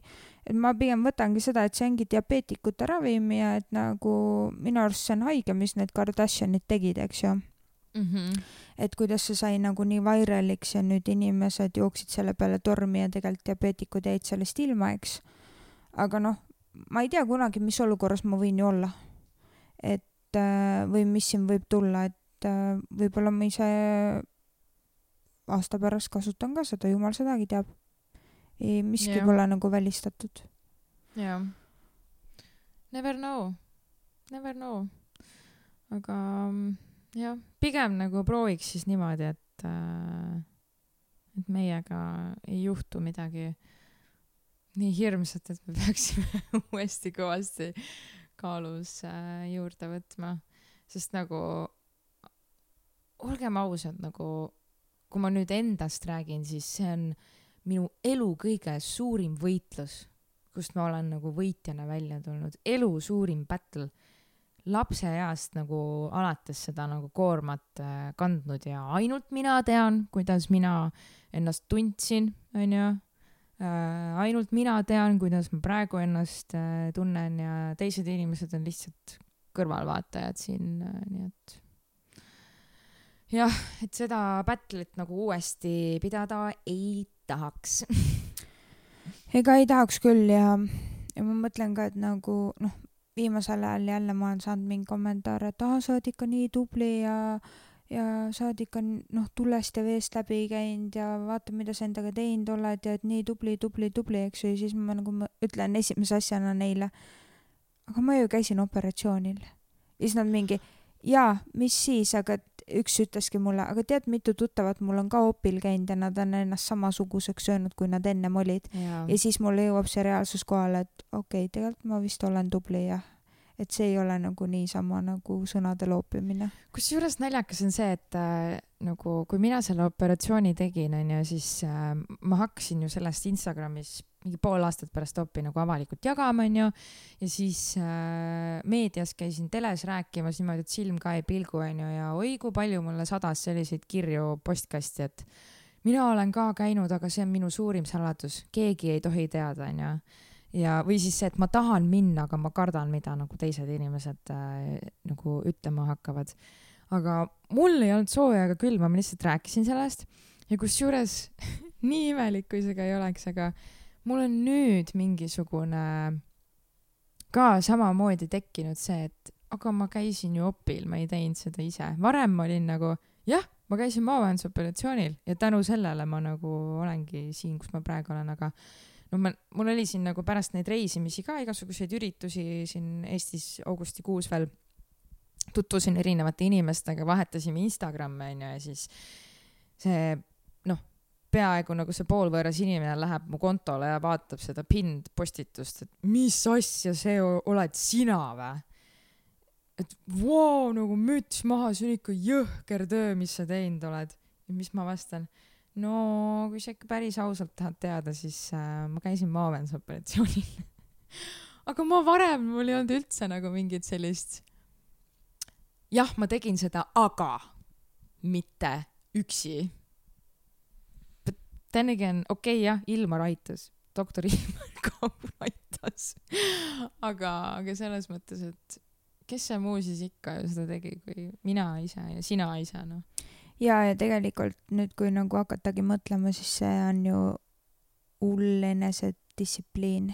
[SPEAKER 2] et ma pigem võtangi seda, et see ongi diabeetikute ravim ja et nagu minu arust see on haige, mis need Kardashianid tegid, eks ju. Mm-hmm. Et kuidas see sai nagu nii vairaliks ja nüüd inimesed jooksid selle peale tormi ja tegelikult diabeetikud jäid sellest ilma, eks. Aga noh, ma ei tea kunagi, mis olukorras ma võin ju olla. Et või mis siin võib tulla, et võib-olla ma ise aasta pärast kasutan ka seda, jumal sedagi teab. Ei, miski yeah. pole nagu välistatud.
[SPEAKER 1] Jah. Yeah. Never know. Never know. Aga jah, pigem nagu prooviks siis niimoodi, et, äh, et meiega ei juhtu midagi nii hirmsat, et me peaksime uuesti kõvasti kaalus äh, juurde võtma. Sest nagu, olgem ausad, nagu, kui ma nüüd endast räägin, siis see on minu elu kõige suurim võitlus, kust ma olen nagu võitjana välja tulnud. Elu suurim battle. Lapse east nagu alates seda nagu koormat äh, kandnud ja ainult mina tean, kuidas mina ennast tundsin, on ju. Äh, ainult mina tean, kuidas ma praegu ennast äh, tunnen ja teised inimesed on lihtsalt kõrvalvaatajad siin, äh, nii et jah, et seda battle'it nagu uuesti pidada ei tahaks.
[SPEAKER 2] Ega ei tahaks küll ja, ja ma mõtlen ka, et nagu noh, viimasel ajal jälle ma olen saanud mingi kommentaare, et ah, sa oled ikka nii tubli ja ja sa oled ikka noh, tulest ja veest läbi käinud ja vaata, mida sa endaga teinud oled ja et nii tubli, tubli, tubli, eks ju, ja siis ma nagu ma ütlen esimese asjana neile, aga ma ju käisin operatsioonil. Ja siis nad mingi, jaa, mis siis, aga üks ütleski mulle, aga tead, mitu tuttavat mul on ka opil käinud ja nad on ennast samasuguseks söönud, kui nad ennem olid. Ja, ja siis mulle jõuab see reaalsus kohale, et okei, okay, tegelikult ma vist olen tubli ja et see ei ole nagu niisama nagu sõnade loopimine.
[SPEAKER 1] Kusjuures naljakas on see, et äh, nagu kui mina selle operatsiooni tegin, on ju, siis äh, ma hakkasin ju sellest Instagramis mingi pool aastat pärast opi nagu avalikult jagama, on ju, ja siis äh, meedias käisin teles rääkimas niimoodi, et silm ka ei pilgu, on ju, ja oi, kui palju mulle sadas selliseid kirju postkasti, et mina olen ka käinud, aga see on minu suurim saladus, keegi ei tohi teada, on ju. Ja, või siis see, et ma tahan minna, aga ma kardan, mida nagu teised inimesed äh, nagu ütlema hakkavad. Aga mul ei olnud sooja ega külma, ma lihtsalt rääkisin sellest ja kusjuures nii imelik, kui see ka ei oleks, aga mul on nüüd mingisugune ka samamoodi tekkinud see, et aga ma käisin ju opil, ma ei teinud seda ise. Varem ma olin nagu, jah, ma käisin maavähendusoperatsioonil ja tänu sellele ma nagu olengi siin, kus ma praegu olen, aga no ma, mul oli siin nagu pärast neid reisimisi ka igasuguseid üritusi siin Eestis augustikuus veel tutvusin erinevate inimestega, vahetasime Instagramme on ju, ja siis see noh, peaaegu nagu see poolvõõras inimene läheb mu kontole ja vaatab seda pind postitust, et mis asja see oled sina vä? Et vau, nagu müts maha, see on ikka jõhker töö, mis sa teinud oled. Ja mis ma vastan? No, kui sa ikka päris ausalt tahad teada, siis äh, ma käisin maavähendusoperatsioonil. Aga ma varem, mul ei olnud üldse nagu mingit sellist jah, ma tegin seda, aga mitte üksi. But then again, okei okay, jah, Ilmar aitas. Doktor Ilmar ka aitas. Aga, aga selles mõttes, et kes see muu siis ikka ju seda tegi, kui mina ise ja sina ise, noh.
[SPEAKER 2] Ja, ja tegelikult nüüd, kui nagu hakatagi mõtlema, siis see on ju hull enesedistsipliin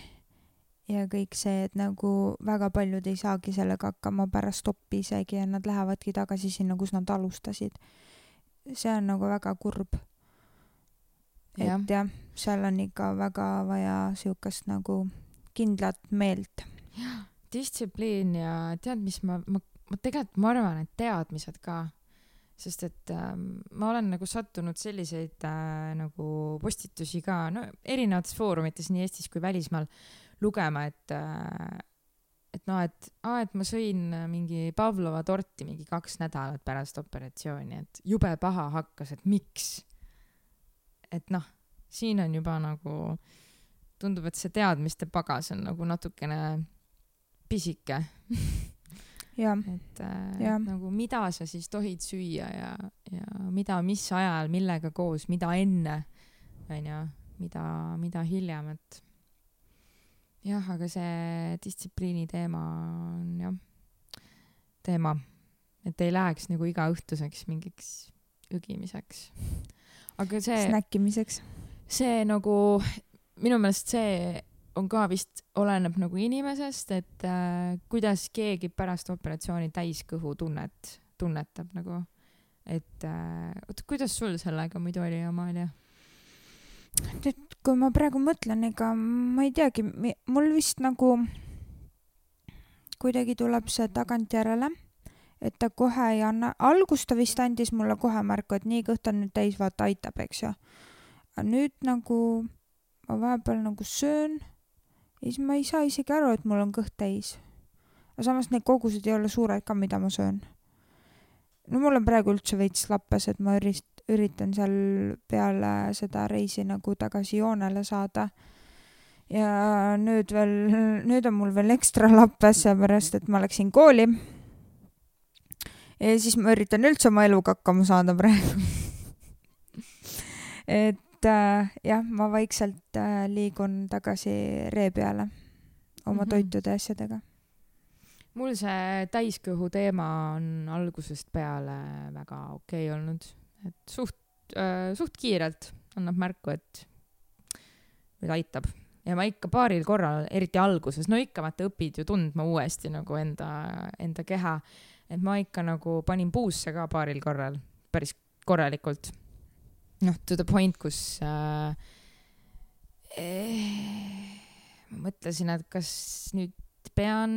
[SPEAKER 2] ja kõik see, et nagu väga paljud ei saagi sellega hakkama pärast opi isegi ja nad lähevadki tagasi sinna, kus nad alustasid. See on nagu väga kurb. Et jah, ja, seal on ikka väga vaja siukest nagu kindlat meelt.
[SPEAKER 1] Distsipliin ja tead, mis ma, ma, ma tegelikult ma arvan, et teadmised ka. Sest et äh, ma olen nagu sattunud selliseid äh, nagu postitusi ka, no erinevates foorumites nii Eestis kui välismaal lugema, et äh, et noh, et, ah, et ma sõin mingi Pavlova torti mingi kaks nädalat pärast operatsiooni, et jube paha hakkas, et miks? Et noh, siin on juba nagu tundub, et see teadmiste pagas on nagu natukene pisike.
[SPEAKER 2] Ja.
[SPEAKER 1] Et, äh, ja. et nagu mida sa siis tohid süüa ja, ja mida, mis ajal, millega koos, mida enne, on ja, mida, mida hiljem, et jah, aga see distsipliini teema on jah, teema, et ei läheks nagu iga õhtuseks mingiks ügimiseks. Aga see...
[SPEAKER 2] Snäkkimiseks.
[SPEAKER 1] See nagu, minu meelest see on ka vist oleneb nagu inimesest, et äh, kuidas keegi pärast operatsiooni täiskõhu tunnet, tunnetab nagu, et äh, oot, kuidas sul sellega muidu oli, Amalia?
[SPEAKER 2] Et kui ma praegu mõtlen, ega ma ei teagi, mul vist nagu kuidagi tuleb see tagantjärele, et ta kohe ei anna, algus ta vist andis mulle kohe märku, et nii kõht on nüüd täis, vaata aitab, eks ju. Aga nüüd nagu ma vahepeal nagu söön ja siis ma ei saa isegi aru, et mul on kõht täis. Aga samas need kogused ei ole suured ka, mida ma söön. No mul on praegu üldse veits lappes, et ma ürist, üritan seal peale seda reisi nagu tagasi joonele saada. Ja nüüd veel, nüüd on mul veel ekstra lappes, seepärast, et ma läksin kooli. Ja siis ma üritan üldse oma eluga hakkama saada praegu. Et äh, jah, ma vaikselt äh, liigun tagasi ree peale oma mm-hmm. toitude asjadega.
[SPEAKER 1] Mul see täiskõhu teema on algusest peale väga okei okay olnud. Et suht, äh, suht kiirelt annab märku, et või aitab. ja ma ikka paaril korral, eriti alguses, no ikka vaata õpid ju tundma uuesti nagu enda, enda keha, et ma ikka nagu panin puusse ka paaril korral, päris korralikult. Noh, to the point, kus äh, eh, ma mõtlesin, et kas nüüd pean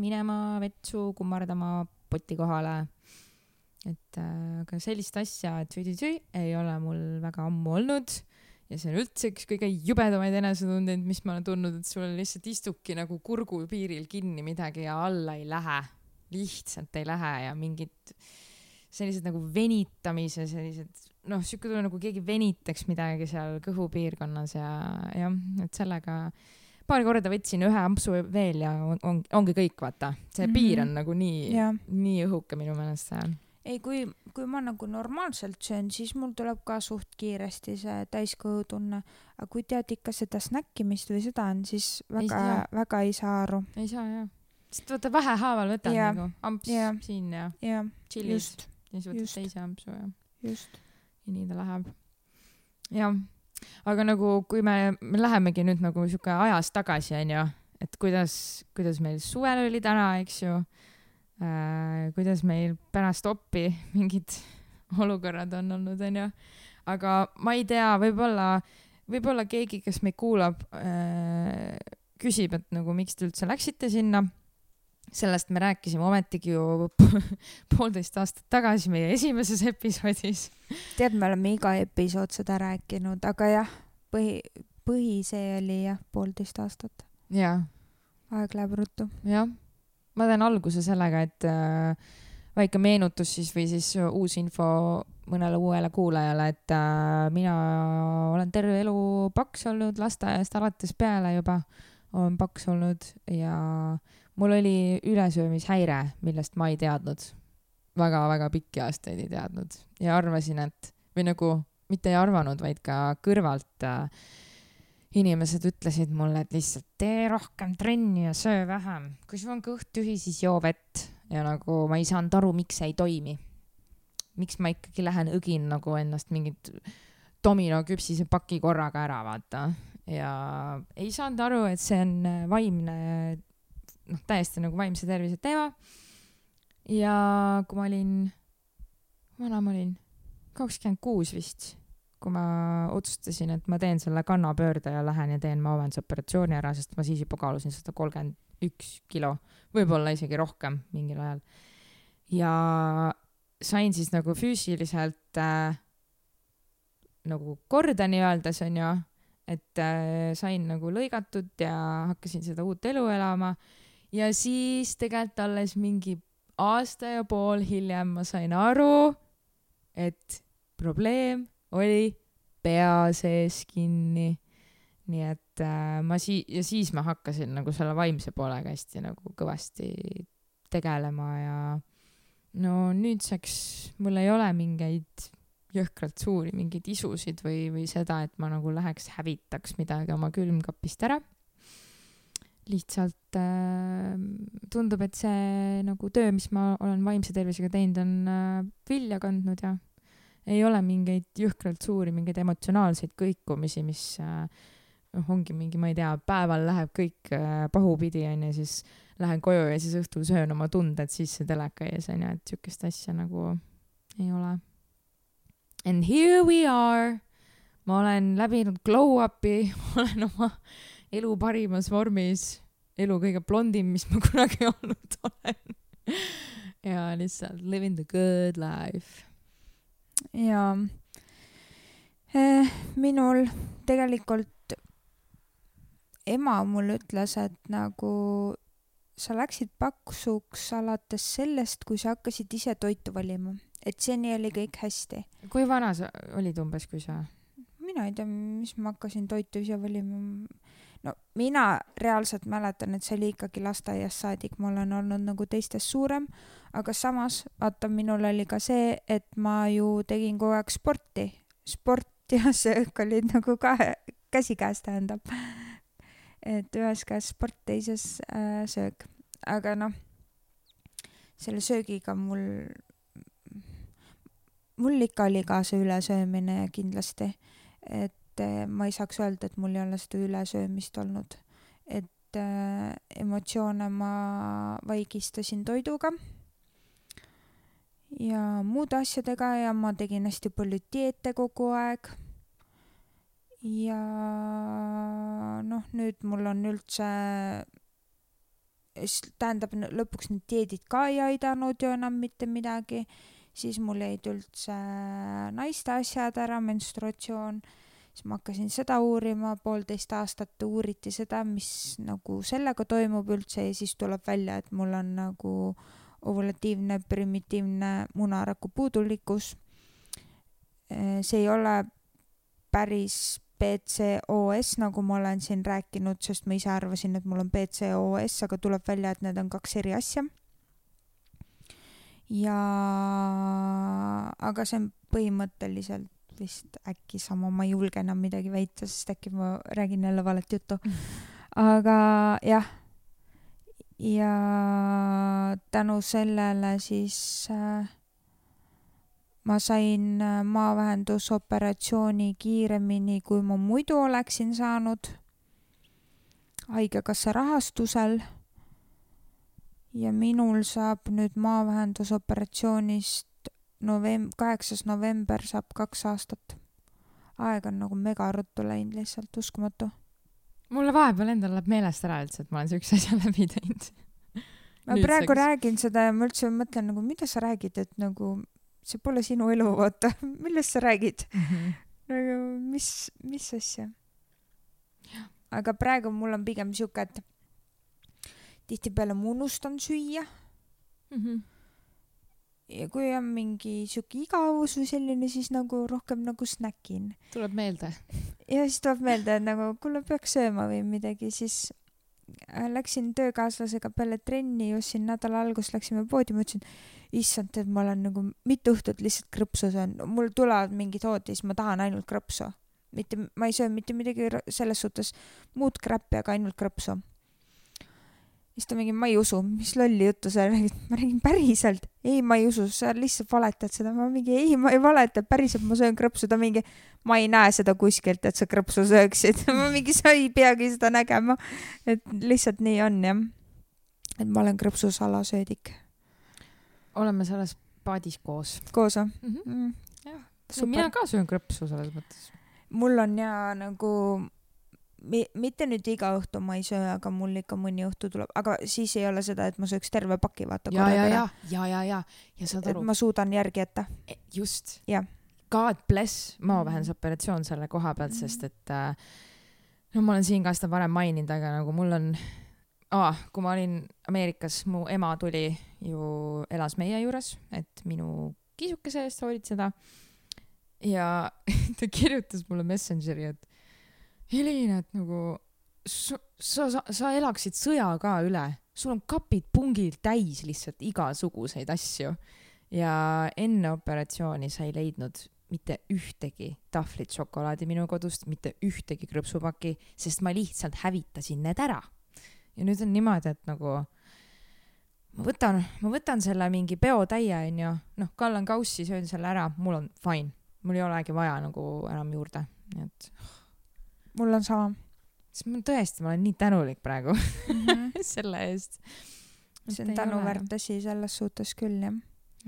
[SPEAKER 1] minema vetsu kummardama poti kohale. Et äh, aga sellist asja, et tüü-tüü ei ole mul väga ammu olnud. Ja see on üldse üks kõige jubedamaid enesetundeid, mis ma olen tundnud, et sul lihtsalt istubki nagu kurgu piiril kinni midagi ja alla ei lähe. Lihtsalt ei lähe ja mingid sellised nagu venitamise, sellised, noh, siuke tule nagu keegi venitaks midagi seal kõhupiirkonnas ja jah, et sellega paar korda võtsin ühe ampsu veel ja on, on, ongi kõik, vaata. See mm-hmm. piir on nagu nii, yeah. nii õhuke minu meelest see.
[SPEAKER 2] Ei, kui, kui ma nagu normaalselt söön, siis mul tuleb ka suht kiiresti see täiskõhutunne. Aga kui tead ikka seda snäkkimist või seda on, siis väga ei, väga ei saa aru.
[SPEAKER 1] Ei saa, jah. Sest võtta vähehaaval võtad ja. Nagu amps ja. Siin ja,
[SPEAKER 2] ja.
[SPEAKER 1] Chillis. Ja siis võtad teise ampsu ja.
[SPEAKER 2] Just.
[SPEAKER 1] Ja nii ta läheb. Jah. Aga nagu, kui me, me lähemegi nüüd nagu siuke ajas tagasi, on ju, et kuidas, kuidas meil suvel oli täna, eks ju. Äh, kuidas meil pärast oppi mingid olukorrad on olnud, on ju. Aga ma ei tea, võib-olla, võib-olla keegi, kes meid kuulab, äh, küsib, et nagu miks te üldse läksite sinna. Sellest me rääkisime ometigi ju poolteist aastat tagasi meie esimeses episoodis.
[SPEAKER 2] Tead, me oleme iga episood seda rääkinud, aga jah, põhi, põhi see oli jah, poolteist aastat.
[SPEAKER 1] Jah.
[SPEAKER 2] Aeg läheb ruttu.
[SPEAKER 1] Jah. Ma teen alguse sellega, et äh, väike meenutus siis või siis uus info mõnele uuele kuulajale, et äh, mina olen terve elu paks olnud lasteaiast alates peale juba, olen paks olnud ja mul oli ülesöömishäire, millest ma ei teadnud. Väga-väga pikki aastaid ei teadnud ja arvasin, et või nagu mitte ei arvanud, vaid ka kõrvalt äh, inimesed ütlesid mulle, et lihtsalt tee rohkem trenni ja söö vähem. Kui sul on kõht tühi, siis joo vett. Ja nagu ma ei saanud aru, miks see ei toimi. Miks ma ikkagi lähen õgin nagu ennast mingit domino küpsise paki korraga ära, vaata. Ja ei saanud aru, et see on vaimne, noh, täiesti nagu vaimse tervise teema. Ja kui ma olin, vana ma olin kakskümmend kuus vist, kui ma otsustasin, et ma teen selle kannapöörde ja lähen ja teen maavendusoperatsiooni ära, sest ma siis juba kaalusin sada kolmkümmend üks kilo, võib-olla isegi rohkem mingil ajal. Ja sain siis nagu füüsiliselt äh, nagu korda nii öeldes on ju, et äh, sain nagu lõigatud ja hakkasin seda uut elu elama ja siis tegelikult alles mingi aasta ja pool hiljem ma sain aru, et probleem oli pea sees kinni. Nii et äh, ma si- ja siis ma hakkasin nagu selle vaimse poolega hästi nagu kõvasti tegelema ja no nüüdseks mul ei ole mingeid jõhkralt suuri mingeid isusid või, või seda, et ma nagu läheks hävitaks midagi oma külmkapist ära. Lihtsalt äh, tundub, et see nagu töö, mis ma olen vaimse tervisega teinud, on äh, vilja kandnud ja ei ole mingeid jõhkralt suuri, mingeid emotsionaalseid kõikumisi, mis äh, ongi mingi, ma ei tea, päeval läheb kõik äh, pahupidi on ja siis lähen koju ja siis õhtul söön oma tunded sisse teleka ees on ja et sükest asja nagu ei ole. And here we are. Ma olen läbinud glow up'i, olen oma elu parimas vormis, elu kõige blondim, mis ma kunagi olnud olen. Ja lihtsalt living the good life.
[SPEAKER 2] Ja eh, minul tegelikult ema mul ütles, et nagu sa läksid paksuks alates sellest, kui sa hakkasid ise toitu valima, et seni oli kõik hästi.
[SPEAKER 1] Kui vana sa olid umbes, kui sa?
[SPEAKER 2] Mina ei tea, mis ma hakkasin toitu ise valima. No mina reaalselt mäletan, et see oli ikkagi lasteaias saadik, ma olen olnud nagu teistest suurem, aga samas, vaata, minul oli ka see, et ma ju tegin kogu aeg sporti. Sport ja söök olid nagu ka käsikäes tähendab. Et ühes käes sport, teises äh, söök. Aga noh, selle söögiga mul, mul ikka oli ka see ülesöömine kindlasti. Et et ma ei saaks öelda, et mul ei ole seda ülesöömist olnud. Et äh, emotsioone ma vaigistasin toiduga ja muude asjadega ja ma tegin hästi palju dieete kogu aeg. Ja noh, nüüd mul on üldse, tähendab lõpuks need dieedid ka ei aidanud ju enam mitte midagi, siis mul jäid üldse naiste asjad ära, menstruatsioon, siis ma hakkasin seda uurima, poolteist aastat uuriti seda, mis nagu sellega toimub üldse ja siis tuleb välja, et mul on nagu ovulatiivne primitiivne munaraku puudulikkus. See ei ole päris P C O S, nagu ma olen siin rääkinud, sest ma ise arvasin, et mul on P C O S, aga tuleb välja, et need on kaks eri asja. Ja aga see on põhimõtteliselt vist äkki sama, ma ei julge enam midagi väita, sest äkki ma räägin jälle valet juttu. Aga jah, ja tänu sellele siis äh, ma sain maavähendusoperatsiooni kiiremini, kui ma muidu oleksin saanud haigekassa rahastusel. Ja minul saab nüüd maavähendusoperatsioonist novemb-, kaheksas november saab kaks aastat. Aeg on nagu mega ruttu läinud, lihtsalt uskumatu.
[SPEAKER 1] Mulle vahepeal endal läheb meelest ära üldse, et ma olen üks asja läbi teinud.
[SPEAKER 2] Ma praegu räägin seda ja ma üldse mõtlen, nagu, mida sa räägid, et nagu see pole sinu elu, vaata. Millest sa räägid? Mm-hmm. Nagu, mis, mis asja? Aga praegu mul on pigem siuke, et tihtipeale ma unustan süüa. Mm-hmm. Ja kui on mingi siuke igavus või selline, siis nagu rohkem nagu snäkin.
[SPEAKER 1] Tuleb meelde.
[SPEAKER 2] Ja siis tuleb meelde, et nagu kuule peaks sööma või midagi, siis läksin töökaaslasega peale trenni, just siin nädala algus läksime poodi, ma ütlesin, issand, et ma olen nagu mitu õhtut lihtsalt krõpsu söön. Mul tulevad mingid hood, siis ma tahan ainult krõpsu. Mitte, ma ei söö mitte midagi selles suhtes muud kräppi, aga ainult krõpsu. Siis ta mingi, ma ei usu, mis lolli juttu sa räägid. Ma räägin päriselt. Ei, ma ei usu, sa lihtsalt valetad seda. Ma mingi, ei, ma ei valeta, päriselt ma söön krõpsu. Ta mingi, ma ei näe seda kuskilt, et sa krõpsu sööksid. Ma mingi, sa ei peagi seda nägema. Et lihtsalt nii on, jah. Et ma olen krõpsu salasöödik.
[SPEAKER 1] Oleme selles paadis koos.
[SPEAKER 2] Koos,
[SPEAKER 1] mm-hmm. mm. jah. Mina ka söön krõpsu selles mõttes.
[SPEAKER 2] Mul on ja nagu... mitte nüüd iga õhtu ma ei söö, aga mul ikka mõni õhtu tuleb, aga siis ei ole seda, et ma sööks terve paki, vaata.
[SPEAKER 1] Ja, ja, ja, ja, ja, ja, ja saad aru.
[SPEAKER 2] Ma suudan järgi jätta.
[SPEAKER 1] Just.
[SPEAKER 2] Ja.
[SPEAKER 1] God bless maavähendusoperatsioon selle koha pealt, sest et no ma olen siin ka seda varem maininud, aga nagu mul on, ah, kui ma olin Ameerikas, mu ema tuli ju, elas meie juures, et minu kisukese eest hoolitseda ja ta kirjutas mulle Messengeri, et Helin, et nagu sa, sa, sa elaksid sõja ka üle. Sul on kapid pungil täis lihtsalt igasuguseid asju. Ja enne operatsiooni sa ei leidnud mitte ühtegi tahvlit šokolaadi minu kodust, mitte ühtegi krõpsupaki, sest ma lihtsalt hävitasin need ära. Ja nüüd on niimoodi, et nagu ma võtan, ma võtan selle mingi peotäie, on ju, noh, kallan kaussi, söön selle ära, mul on fine. Mul ei olegi vaja nagu enam juurde. Nii et...
[SPEAKER 2] Mul on sama.
[SPEAKER 1] Siis ma tõesti, ma olen nii tänulik praegu mm-hmm. selle eest.
[SPEAKER 2] See on tänuväärt asi selles suhtes küll, jah.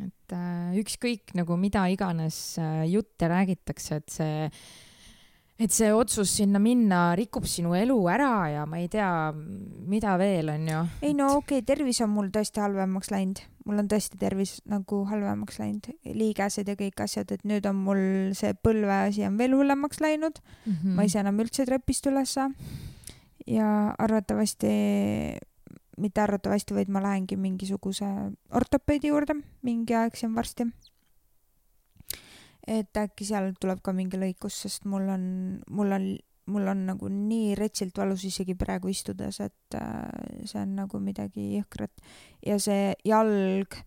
[SPEAKER 1] Et äh, ükskõik nagu mida iganes äh, jutte räägitakse, et see, et see otsus sinna minna rikub sinu elu ära ja ma ei tea, mida veel on ju.
[SPEAKER 2] Ei no okei, okay, tervis on mul tõesti halvemaks läinud. Mul on tõesti tervis nagu halvemaks läinud, liigesed ja kõik asjad, et nüüd on mul see põlve asi on veel hullemaks läinud. Mm-hmm. Ma ei saa enam üldse trepist ülessa ja arvatavasti, mitte arvatavasti, vaid ma lähengi mingisuguse ortopeedi juurde mingi aeg siin varsti. Et äkki seal tuleb ka mingi lõikus, sest mul on, mul on mul on nagu nii retsilt valus isegi praegu istudes, et äh, see on nagu midagi jõhkrat. Ja see jalg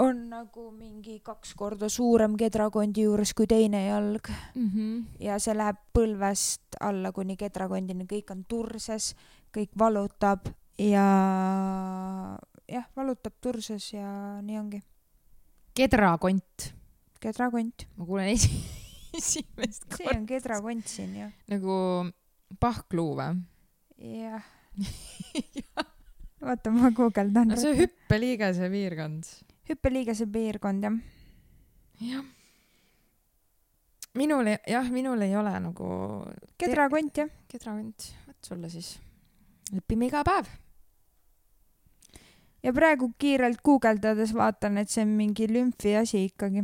[SPEAKER 2] on nagu mingi kaks korda suurem kedrakondi juures kui teine jalg. Mm-hmm. Ja see läheb põlvest alla kuni kedrakondini. Kõik on turses, kõik valutab ja jah, valutab turses ja nii ongi.
[SPEAKER 1] Kedrakont.
[SPEAKER 2] Kedrakont.
[SPEAKER 1] Ma kuulen esi... esimest
[SPEAKER 2] see
[SPEAKER 1] korda.
[SPEAKER 2] on kedrakont siin ju.
[SPEAKER 1] Nagu pahkluu või?
[SPEAKER 2] Jah. Vaata, ma guugeldan.
[SPEAKER 1] No see hüppeliigese piirkond.
[SPEAKER 2] Hüppeliigese piirkond, jah.
[SPEAKER 1] Jah. Minul, jah, minul ei ole nagu...
[SPEAKER 2] Kedrakont, jah.
[SPEAKER 1] Kedrakont. Võt sulle siis. Õpime iga päev.
[SPEAKER 2] Ja praegu kiirelt guugeldades vaatan, et see on mingi lümfi asi ikkagi.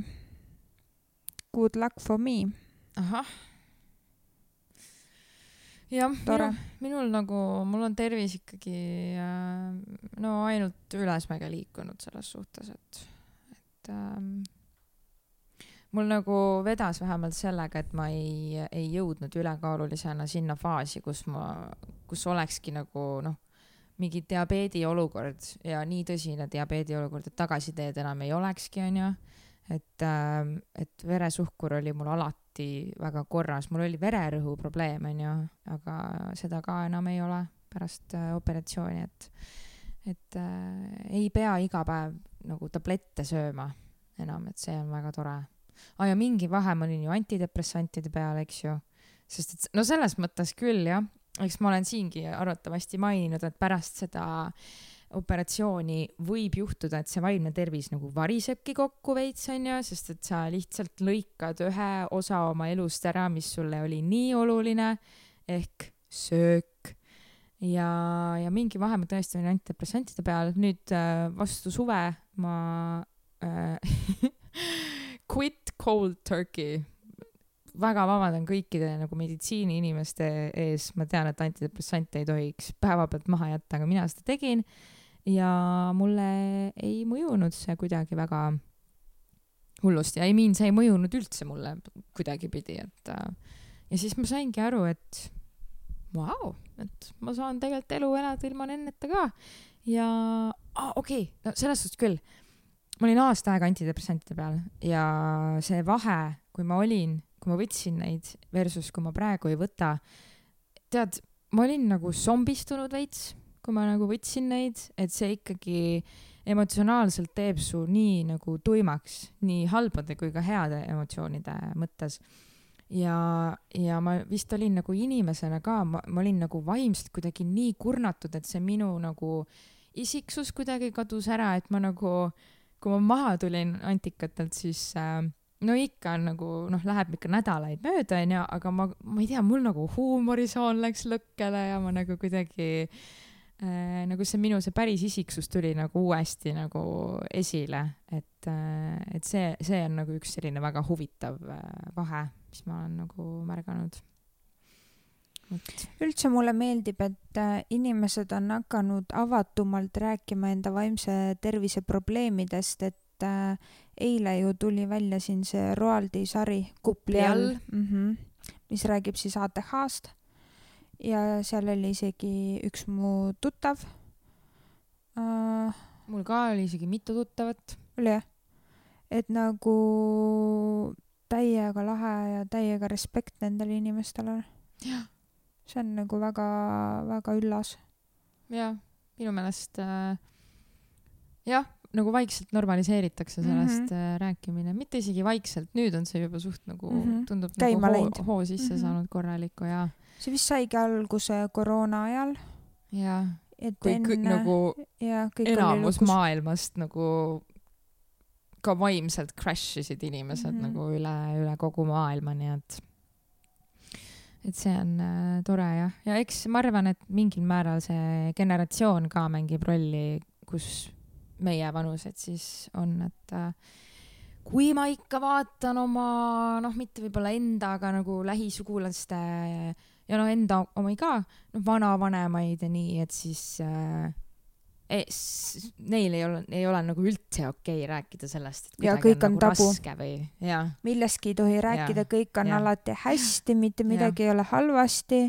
[SPEAKER 2] Good luck for me.
[SPEAKER 1] Ahah. Jah, minul, minul nagu, mul on tervis ikkagi äh, no ainult ülesmäge liikunud selles suhtes, et, et ähm, mul nagu vedas vähemalt sellega, et ma ei, ei jõudnud ülekaalulisena sinna faasi, kus ma, kus olekski nagu noh, mingi diabeedi olukord ja nii tõsine diabeedi olukord, et tagasiteed enam ei olekski, on ju. Et, äh, et veresuhkur oli mul alati väga korras. Mul oli vererõhu probleem, on ju, aga seda ka enam ei ole pärast äh, operatsiooni, et, et äh, ei pea iga päev nagu tablette sööma enam, et see on väga tore. Ah, ja mingi vahe ma olin ju antidepressantide peal, eks ju. Sest et, no selles mõttes küll, jah. Eks ma olen siingi arvatavasti maininud, et pärast seda operatsiooni võib juhtuda, et see vaimne tervis nagu varisebki kokku veits, on ju, sest et sa lihtsalt lõikad ühe osa oma elust ära, mis sulle oli nii oluline, ehk söök. Ja, ja mingi vahe ma tõesti olin antidepressantide peal. Nüüd vastu suve ma äh, quit cold turkey. Väga vabandan kõikide nagu meditsiini inimeste ees. Ma tean, et antidepressante ei tohiks päeva pealt maha jätta, aga mina seda tegin ja mulle ei mõjunud see kuidagi väga hullusti. Ja ei miin, see ei mõjunud üldse mulle kuidagi pidi. Et, ja siis ma saingi aru, et vau, et ma saan tegelikult elu elada ilma nenneta ka. Ja ah, okei, okay. No selles suhtes küll. Ma olin aasta aega antidepressantide peal ja see vahe, kui ma olin kui ma võtsin neid versus kui ma praegu ei võta, tead, ma olin nagu zombistunud veits, kui ma nagu võtsin neid, et see ikkagi emotsionaalselt teeb su nii nagu tuimaks, nii halbade kui ka heade emotsioonide mõttes. Ja, ja ma vist olin nagu inimesena ka, ma, ma olin nagu vaimselt kuidagi nii kurnatud, et see minu nagu isiksus kuidagi kadus ära, et ma nagu, kui ma maha tulin antikatelt, siis... Äh, no ikka on nagu, noh, läheb ikka nädalaid mööda, ja, aga ma, ma ei tea, mul nagu huumorisoon läks lõkkele ja ma nagu kuidagi, äh, nagu see minu see päris isiksus tuli nagu uuesti nagu esile, et, äh, et see, see on nagu üks selline väga huvitav äh, vahe, mis ma olen nagu märganud. Et.
[SPEAKER 2] Üldse mulle meeldib, et äh, inimesed on hakanud avatumalt rääkima enda vaimse tervise probleemidest, et eile ju tuli välja siin see Roaldi sari Kupli all, mm-hmm, mis räägib siis A T H-st ja seal oli isegi üks mu tuttav.
[SPEAKER 1] Uh, mul ka oli isegi mitu tuttavat.
[SPEAKER 2] Oli jah? Et nagu täiega lahe ja täiega respekt nendele inimestele.
[SPEAKER 1] Ja.
[SPEAKER 2] See on nagu väga, väga üllas.
[SPEAKER 1] Ja, minu meelest äh, jah, nagu vaikselt normaliseeritakse sellest mm-hmm. rääkimine, mitte isegi vaikselt, nüüd on see juba suht nagu mm-hmm. tundub
[SPEAKER 2] Käima
[SPEAKER 1] nagu hoo, hoo sisse mm-hmm. saanud korralikku ja
[SPEAKER 2] see vist saigi alguse koroona ajal
[SPEAKER 1] ja
[SPEAKER 2] et
[SPEAKER 1] kui
[SPEAKER 2] enne,
[SPEAKER 1] kõ, nagu
[SPEAKER 2] ja,
[SPEAKER 1] enamus maailmast nagu ka vaimselt crashisid inimesed mm-hmm. nagu üle, üle kogu maailma, nii et et see on äh, tore jah, ja eks ma arvan, et mingil määral see generatsioon ka mängib rolli, kus meie vanused siis on, et äh, kui ma ikka vaatan oma, noh, mitte võib-olla enda, aga nagu lähisugulaste ja no enda omi ka, no vanavanemaid ja nii, et siis äh, es, neil ei ole, ei ole nagu üldse okei rääkida sellest, et
[SPEAKER 2] ja kõik on, on
[SPEAKER 1] nagu
[SPEAKER 2] tabu.
[SPEAKER 1] Raske või, ja.
[SPEAKER 2] Millestki ei tohi rääkida, ja. Kõik on ja. Alati hästi, mitte midagi ja. Ei ole halvasti.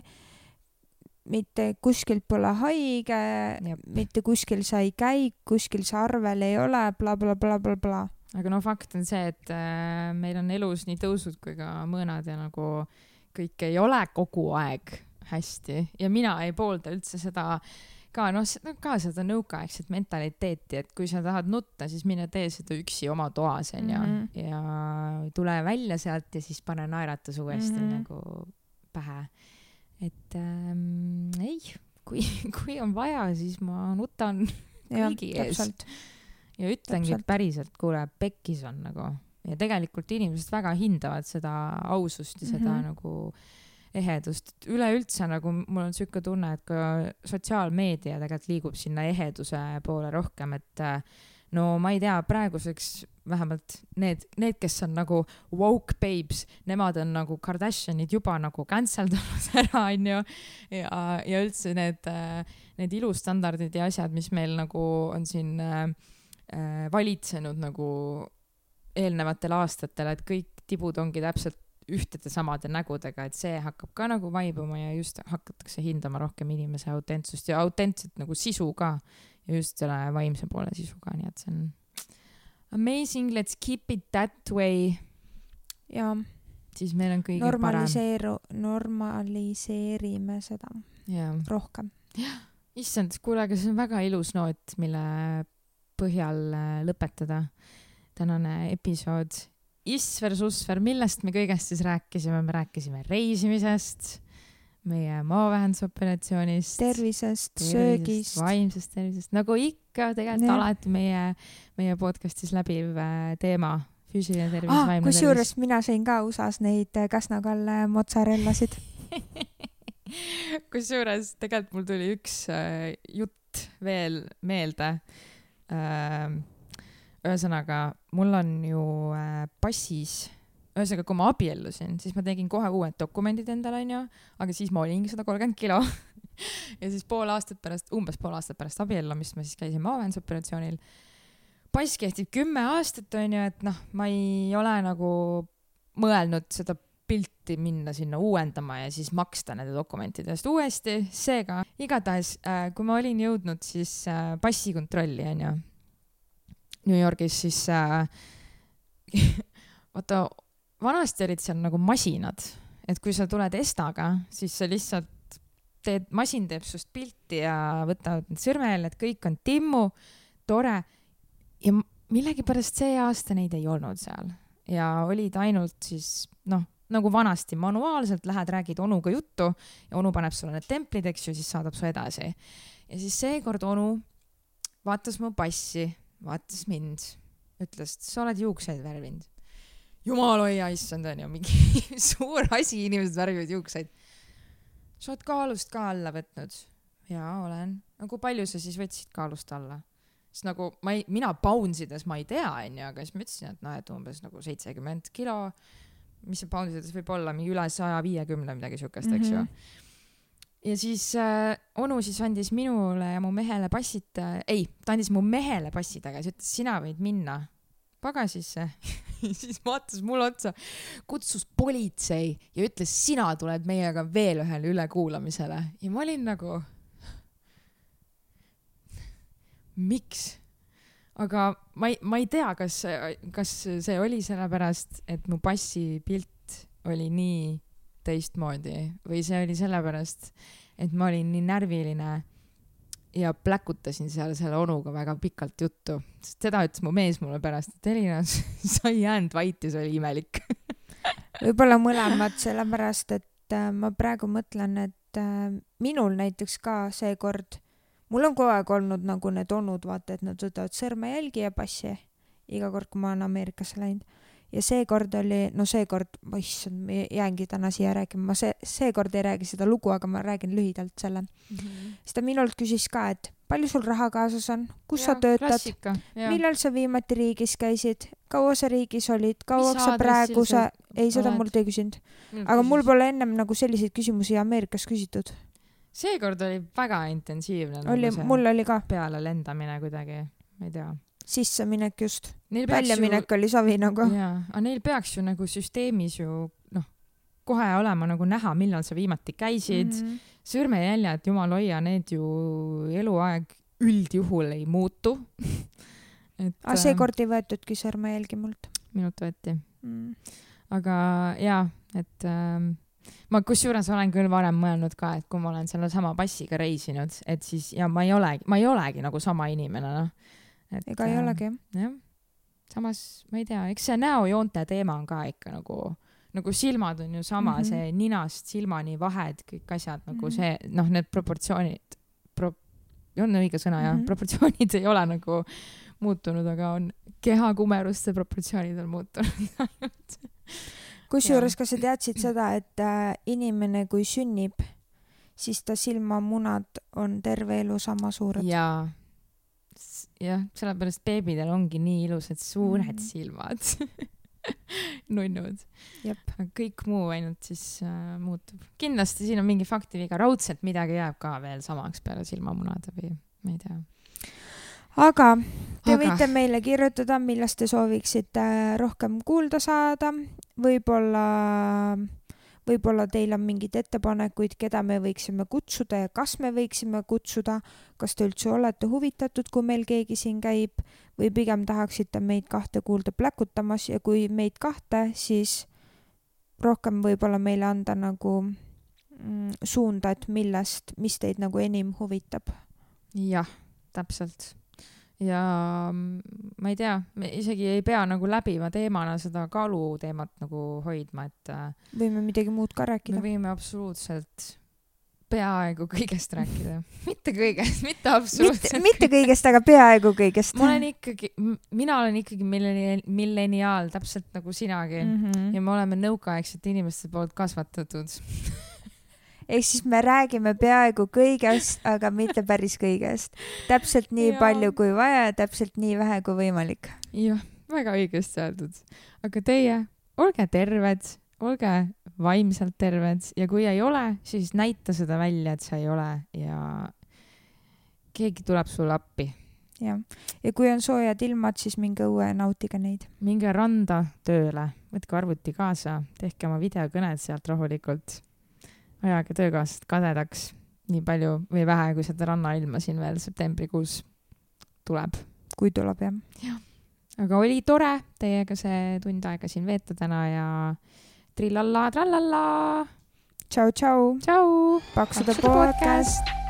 [SPEAKER 2] Mitte kuskil pole haige, Jep. Mitte kuskil sa ei käi, kuskil sa arvel ei ole, bla, bla, bla, bla, bla.
[SPEAKER 1] Aga no fakt on see, et äh, meil on elus nii tõusud kui ka mõõnad ja nagu kõik ei ole kogu aeg hästi. Ja mina ei poolda üldse seda ka noh, ka seda nõukaaegset mentaliteeti, et kui sa tahad nutta, siis mine tee seda üksi oma toas onju mm -hmm. ja tule välja sealt ja siis pane naeratus uuesti mm -hmm. nagu pähe. et ähm, ei, kui, kui on vaja, siis ma nutan kõigi ja, ees täpselt. Ja ütlengi täpselt. Päriselt, kuule, pekkis on nagu ja tegelikult inimesed väga hindavad seda ausust ja seda mm -hmm. nagu ehedust. Üleüldse nagu mul on siuke tunne, et ka sotsiaalmeedia tegelikult liigub sinna eheduse poole rohkem, et no ma ei tea, praeguseks vähemalt need, need, kes on nagu woke babes, nemad on nagu Kardashianid juba nagu canceldunud ära, onju. Ja, ja üldse need, need ilustandardid ja asjad, mis meil nagu on siin äh, valitsenud nagu eelnevatel aastatel, et kõik tibud ongi täpselt ühtede samade nägudega, et see hakkab ka nagu vaibuma ja just hakatakse hindama rohkem inimese autentsust ja autentset nagu sisu ka ja just selle vaimse poole sisu ka, nii et see on amazing, let's keep it that way.
[SPEAKER 2] Ja
[SPEAKER 1] siis meil on kõige
[SPEAKER 2] normaliseeru, parem. Normaliseerime seda
[SPEAKER 1] ja.
[SPEAKER 2] Rohkem.
[SPEAKER 1] Issand, kuule, aga see on väga ilus noot, mille põhjal lõpetada tänane episood. Isver, susver, millest me kõigest siis rääkisime? Me rääkisime reisimisest, meie maavähendusoperatsioonist,
[SPEAKER 2] tervisest, tervisest, söögist,
[SPEAKER 1] vaimsest tervisest, nagu ikka tegelikult ja. Alati meie, meie podcastis läbiv teema, füüsiline tervis, ah, vaimne tervis.
[SPEAKER 2] Kusjuures mina sõin ka U S A-s neid Käsna-Kalle mozzarellasid.
[SPEAKER 1] Kusjuures tegelikult mul tuli üks äh, jutt veel meelde. Äh, Ühesõnaga, mul on ju äh, passis, ühesõnaga, kui ma abiellusin, siis ma tegin kohe uued dokumendid endale, on ju, aga siis ma olingi sada kolmkümmend kilo. Ja siis pool aastat pärast, umbes pool aastat pärast abiellumist ma siis käisin maavähendusoperatsioonil. Pass kehtib kümme aastat, on ju, et noh, ma ei ole nagu mõelnud seda pilti minna sinna uuendama ja siis maksta nende dokumentidest uuesti. Seega, igatahes, äh, kui ma olin jõudnud siis äh, passikontrolli, on ju, New Yorgis, siis äh, vaata, vanasti olid seal nagu masinad, et kui sa tuled Estaga, siis sa lihtsalt teed, masin teeb sust pilti ja võtavad need sõrmejäljed, kõik on timmu, tore ja millegipärast see aasta neid ei olnud seal ja olid ainult siis, noh, nagu vanasti manuaalselt lähed, räägid onuga juttu ja onu paneb sulle need templid, eks ju, siis saadab su edasi. Ja siis seekord onu vaatas mu passi, vaatas mind, ütles, sa oled juukseid värvinud. Jumal hoia, issand, on ju mingi suur asi, inimesed värvivad juukseid. Sa oled kaalust ka alla võtnud? Jaa, olen. Nagu palju sa siis võtsid kaalust alla? Siis nagu, ma ei, mina poundsides ma ei tea, on ju, aga siis ma ütlesin, et noh, et umbes nagu seitsekümmend kilo, mis see poundsides võib olla, mingi üle saja viiekümne midagi siukest, eks ju. Ja siis äh, onu siis andis minule ja mu mehele passid, äh, ei, ta andis mu mehele passid, aga siis ütles, sina võid minna pagasisse. Siis vaatas mulle otsa, kutsus politsei ja ütles, sina tuled meiega veel ühele ülekuulamisele. Ja ma olin nagu, miks? Aga ma ei, ma ei tea, kas, kas see oli sellepärast, et mu passi pilt oli nii teistmoodi või see oli sellepärast, et ma olin nii närviline ja pläkutasin seal selle onuga väga pikalt juttu. Sest seda ütles mu mees mulle pärast, et Elina, sa ei jäänud vait ja see oli imelik.
[SPEAKER 2] Võib-olla mõlemad, sellepärast, et äh, ma praegu mõtlen, et äh, minul näiteks ka seekord, mul on kogu aeg olnud nagu need onud, vaata, et nad võtavad sõrmejälgi ja passi iga kord, kui ma olen Ameerikasse läinud. Ja seekord oli, no seekord, ma issand, ma jäängi täna siia räägima, ma see, seekord ei räägi seda lugu, aga ma räägin lühidalt selle. Mm-hmm. Siis ta minult küsis ka, et palju sul raha kaasas on, kus ja, sa töötad, klassika, millal sa viimati riigis käisid, kaua sa riigis olid, kauaks sa praegu sa, ei, seda mul ei küsinud. Aga küsis. Mul pole ennem nagu selliseid küsimusi Ameerikas küsitud.
[SPEAKER 1] Seekord oli väga intensiivne.
[SPEAKER 2] Oli, nagu mul oli ka.
[SPEAKER 1] Peale lendamine kuidagi, ma ei tea.
[SPEAKER 2] Sisse minek just. Väljaminek ju... oli savi nagu.
[SPEAKER 1] Jaa, aga neil peaks ju nagu süsteemis ju, noh, kohe olema nagu näha, millal sa viimati käisid. Mm-hmm. Sõrmejäljed, jumal hoia, need ju eluaeg üldjuhul ei muutu.
[SPEAKER 2] Et, aga seekord ei võetudki sõrmejälgi mult.
[SPEAKER 1] Minut võeti. Mm. Aga jaa, et äh, ma kusjuures olen küll varem mõelnud ka, et kui ma olen selle sama passiga reisinud, et siis ja ma ei olegi, ma ei olegi nagu sama inimene, noh.
[SPEAKER 2] ega ei olegi.
[SPEAKER 1] Jah. Samas, ma ei tea, eks see näojoonte teema on ka ikka nagu, nagu silmad on ju sama, mm -hmm. see ninast silmani vahed, kõik asjad nagu mm -hmm. see, noh, need proportsioonid, pro, on õige sõna ja mm -hmm. proportsioonid ei ole nagu muutunud, aga on kehakumeruste proportsioonid on muutunud.
[SPEAKER 2] Kusjuures, kas sa teadsid seda, et äh, inimene, kui sünnib, siis ta silmamunad on terve elu sama suured?
[SPEAKER 1] Jaa. Jah, sellepärast beebidel ongi nii ilusad suured mm. silmad. Nunnud.
[SPEAKER 2] Jep.
[SPEAKER 1] Kõik muu ainult siis äh, muutub. Kindlasti siin on mingi faktiviga. Raudselt midagi jääb ka veel samaks peale silmamunade või ma ei tea.
[SPEAKER 2] Aga te Aga. võite meile kirjutada, millest te sooviksite rohkem kuulda saada. Võib-olla... Võib-olla teil on mingid ettepanekuid, keda me võiksime kutsuda ja kas me võiksime kutsuda, kas te üldse olete huvitatud, kui meil keegi siin käib või pigem tahaksite meid kahte kuulda pläkutamas ja kui meid kahte, siis rohkem võib-olla meile anda nagu mm, suunda, et millest, mis teid nagu enim huvitab.
[SPEAKER 1] Jah, täpselt. Ja ma ei tea, me isegi ei pea nagu läbiva teemana seda kaalu teemat nagu hoidma, et
[SPEAKER 2] võime midagi muud ka rääkida.
[SPEAKER 1] Me võime absoluutselt peaaegu kõigest rääkida. Mitte kõigest, mitte absoluutselt.
[SPEAKER 2] Mitte, mitte kõigest, aga peaaegu kõigest.
[SPEAKER 1] Ma olen ikkagi, mina olen ikkagi milleniaal, täpselt nagu sinagi. Mm -hmm. Ja me oleme nõukaaegsete inimeste poolt kasvatatud.
[SPEAKER 2] Ehk siis me räägime peaaegu kõigest, aga mitte päris kõigest. Täpselt nii ja. palju kui vaja ja täpselt nii vähe kui võimalik.
[SPEAKER 1] Jah, väga õigesti öeldud. Aga teie, olge terved, olge vaimselt terved ja kui ei ole, siis näita seda välja, et sa ei ole ja keegi tuleb sulle appi.
[SPEAKER 2] Ja. ja kui on soojad ilmad, siis minge õue nautige neid.
[SPEAKER 1] Minge randa tööle, võtke arvuti kaasa, tehke oma videokõned sealt rahulikult. Ajage töökaasast kadedaks nii palju või vähe, kui seda rannailma siin veel septembrikuus tuleb.
[SPEAKER 2] Kui tuleb, jah.
[SPEAKER 1] Ja. Aga oli tore teiega see tund aega siin veeta täna ja trillalla, trallalla.
[SPEAKER 2] Tšau, tšau.
[SPEAKER 1] Tšau.
[SPEAKER 2] Paksude podcast.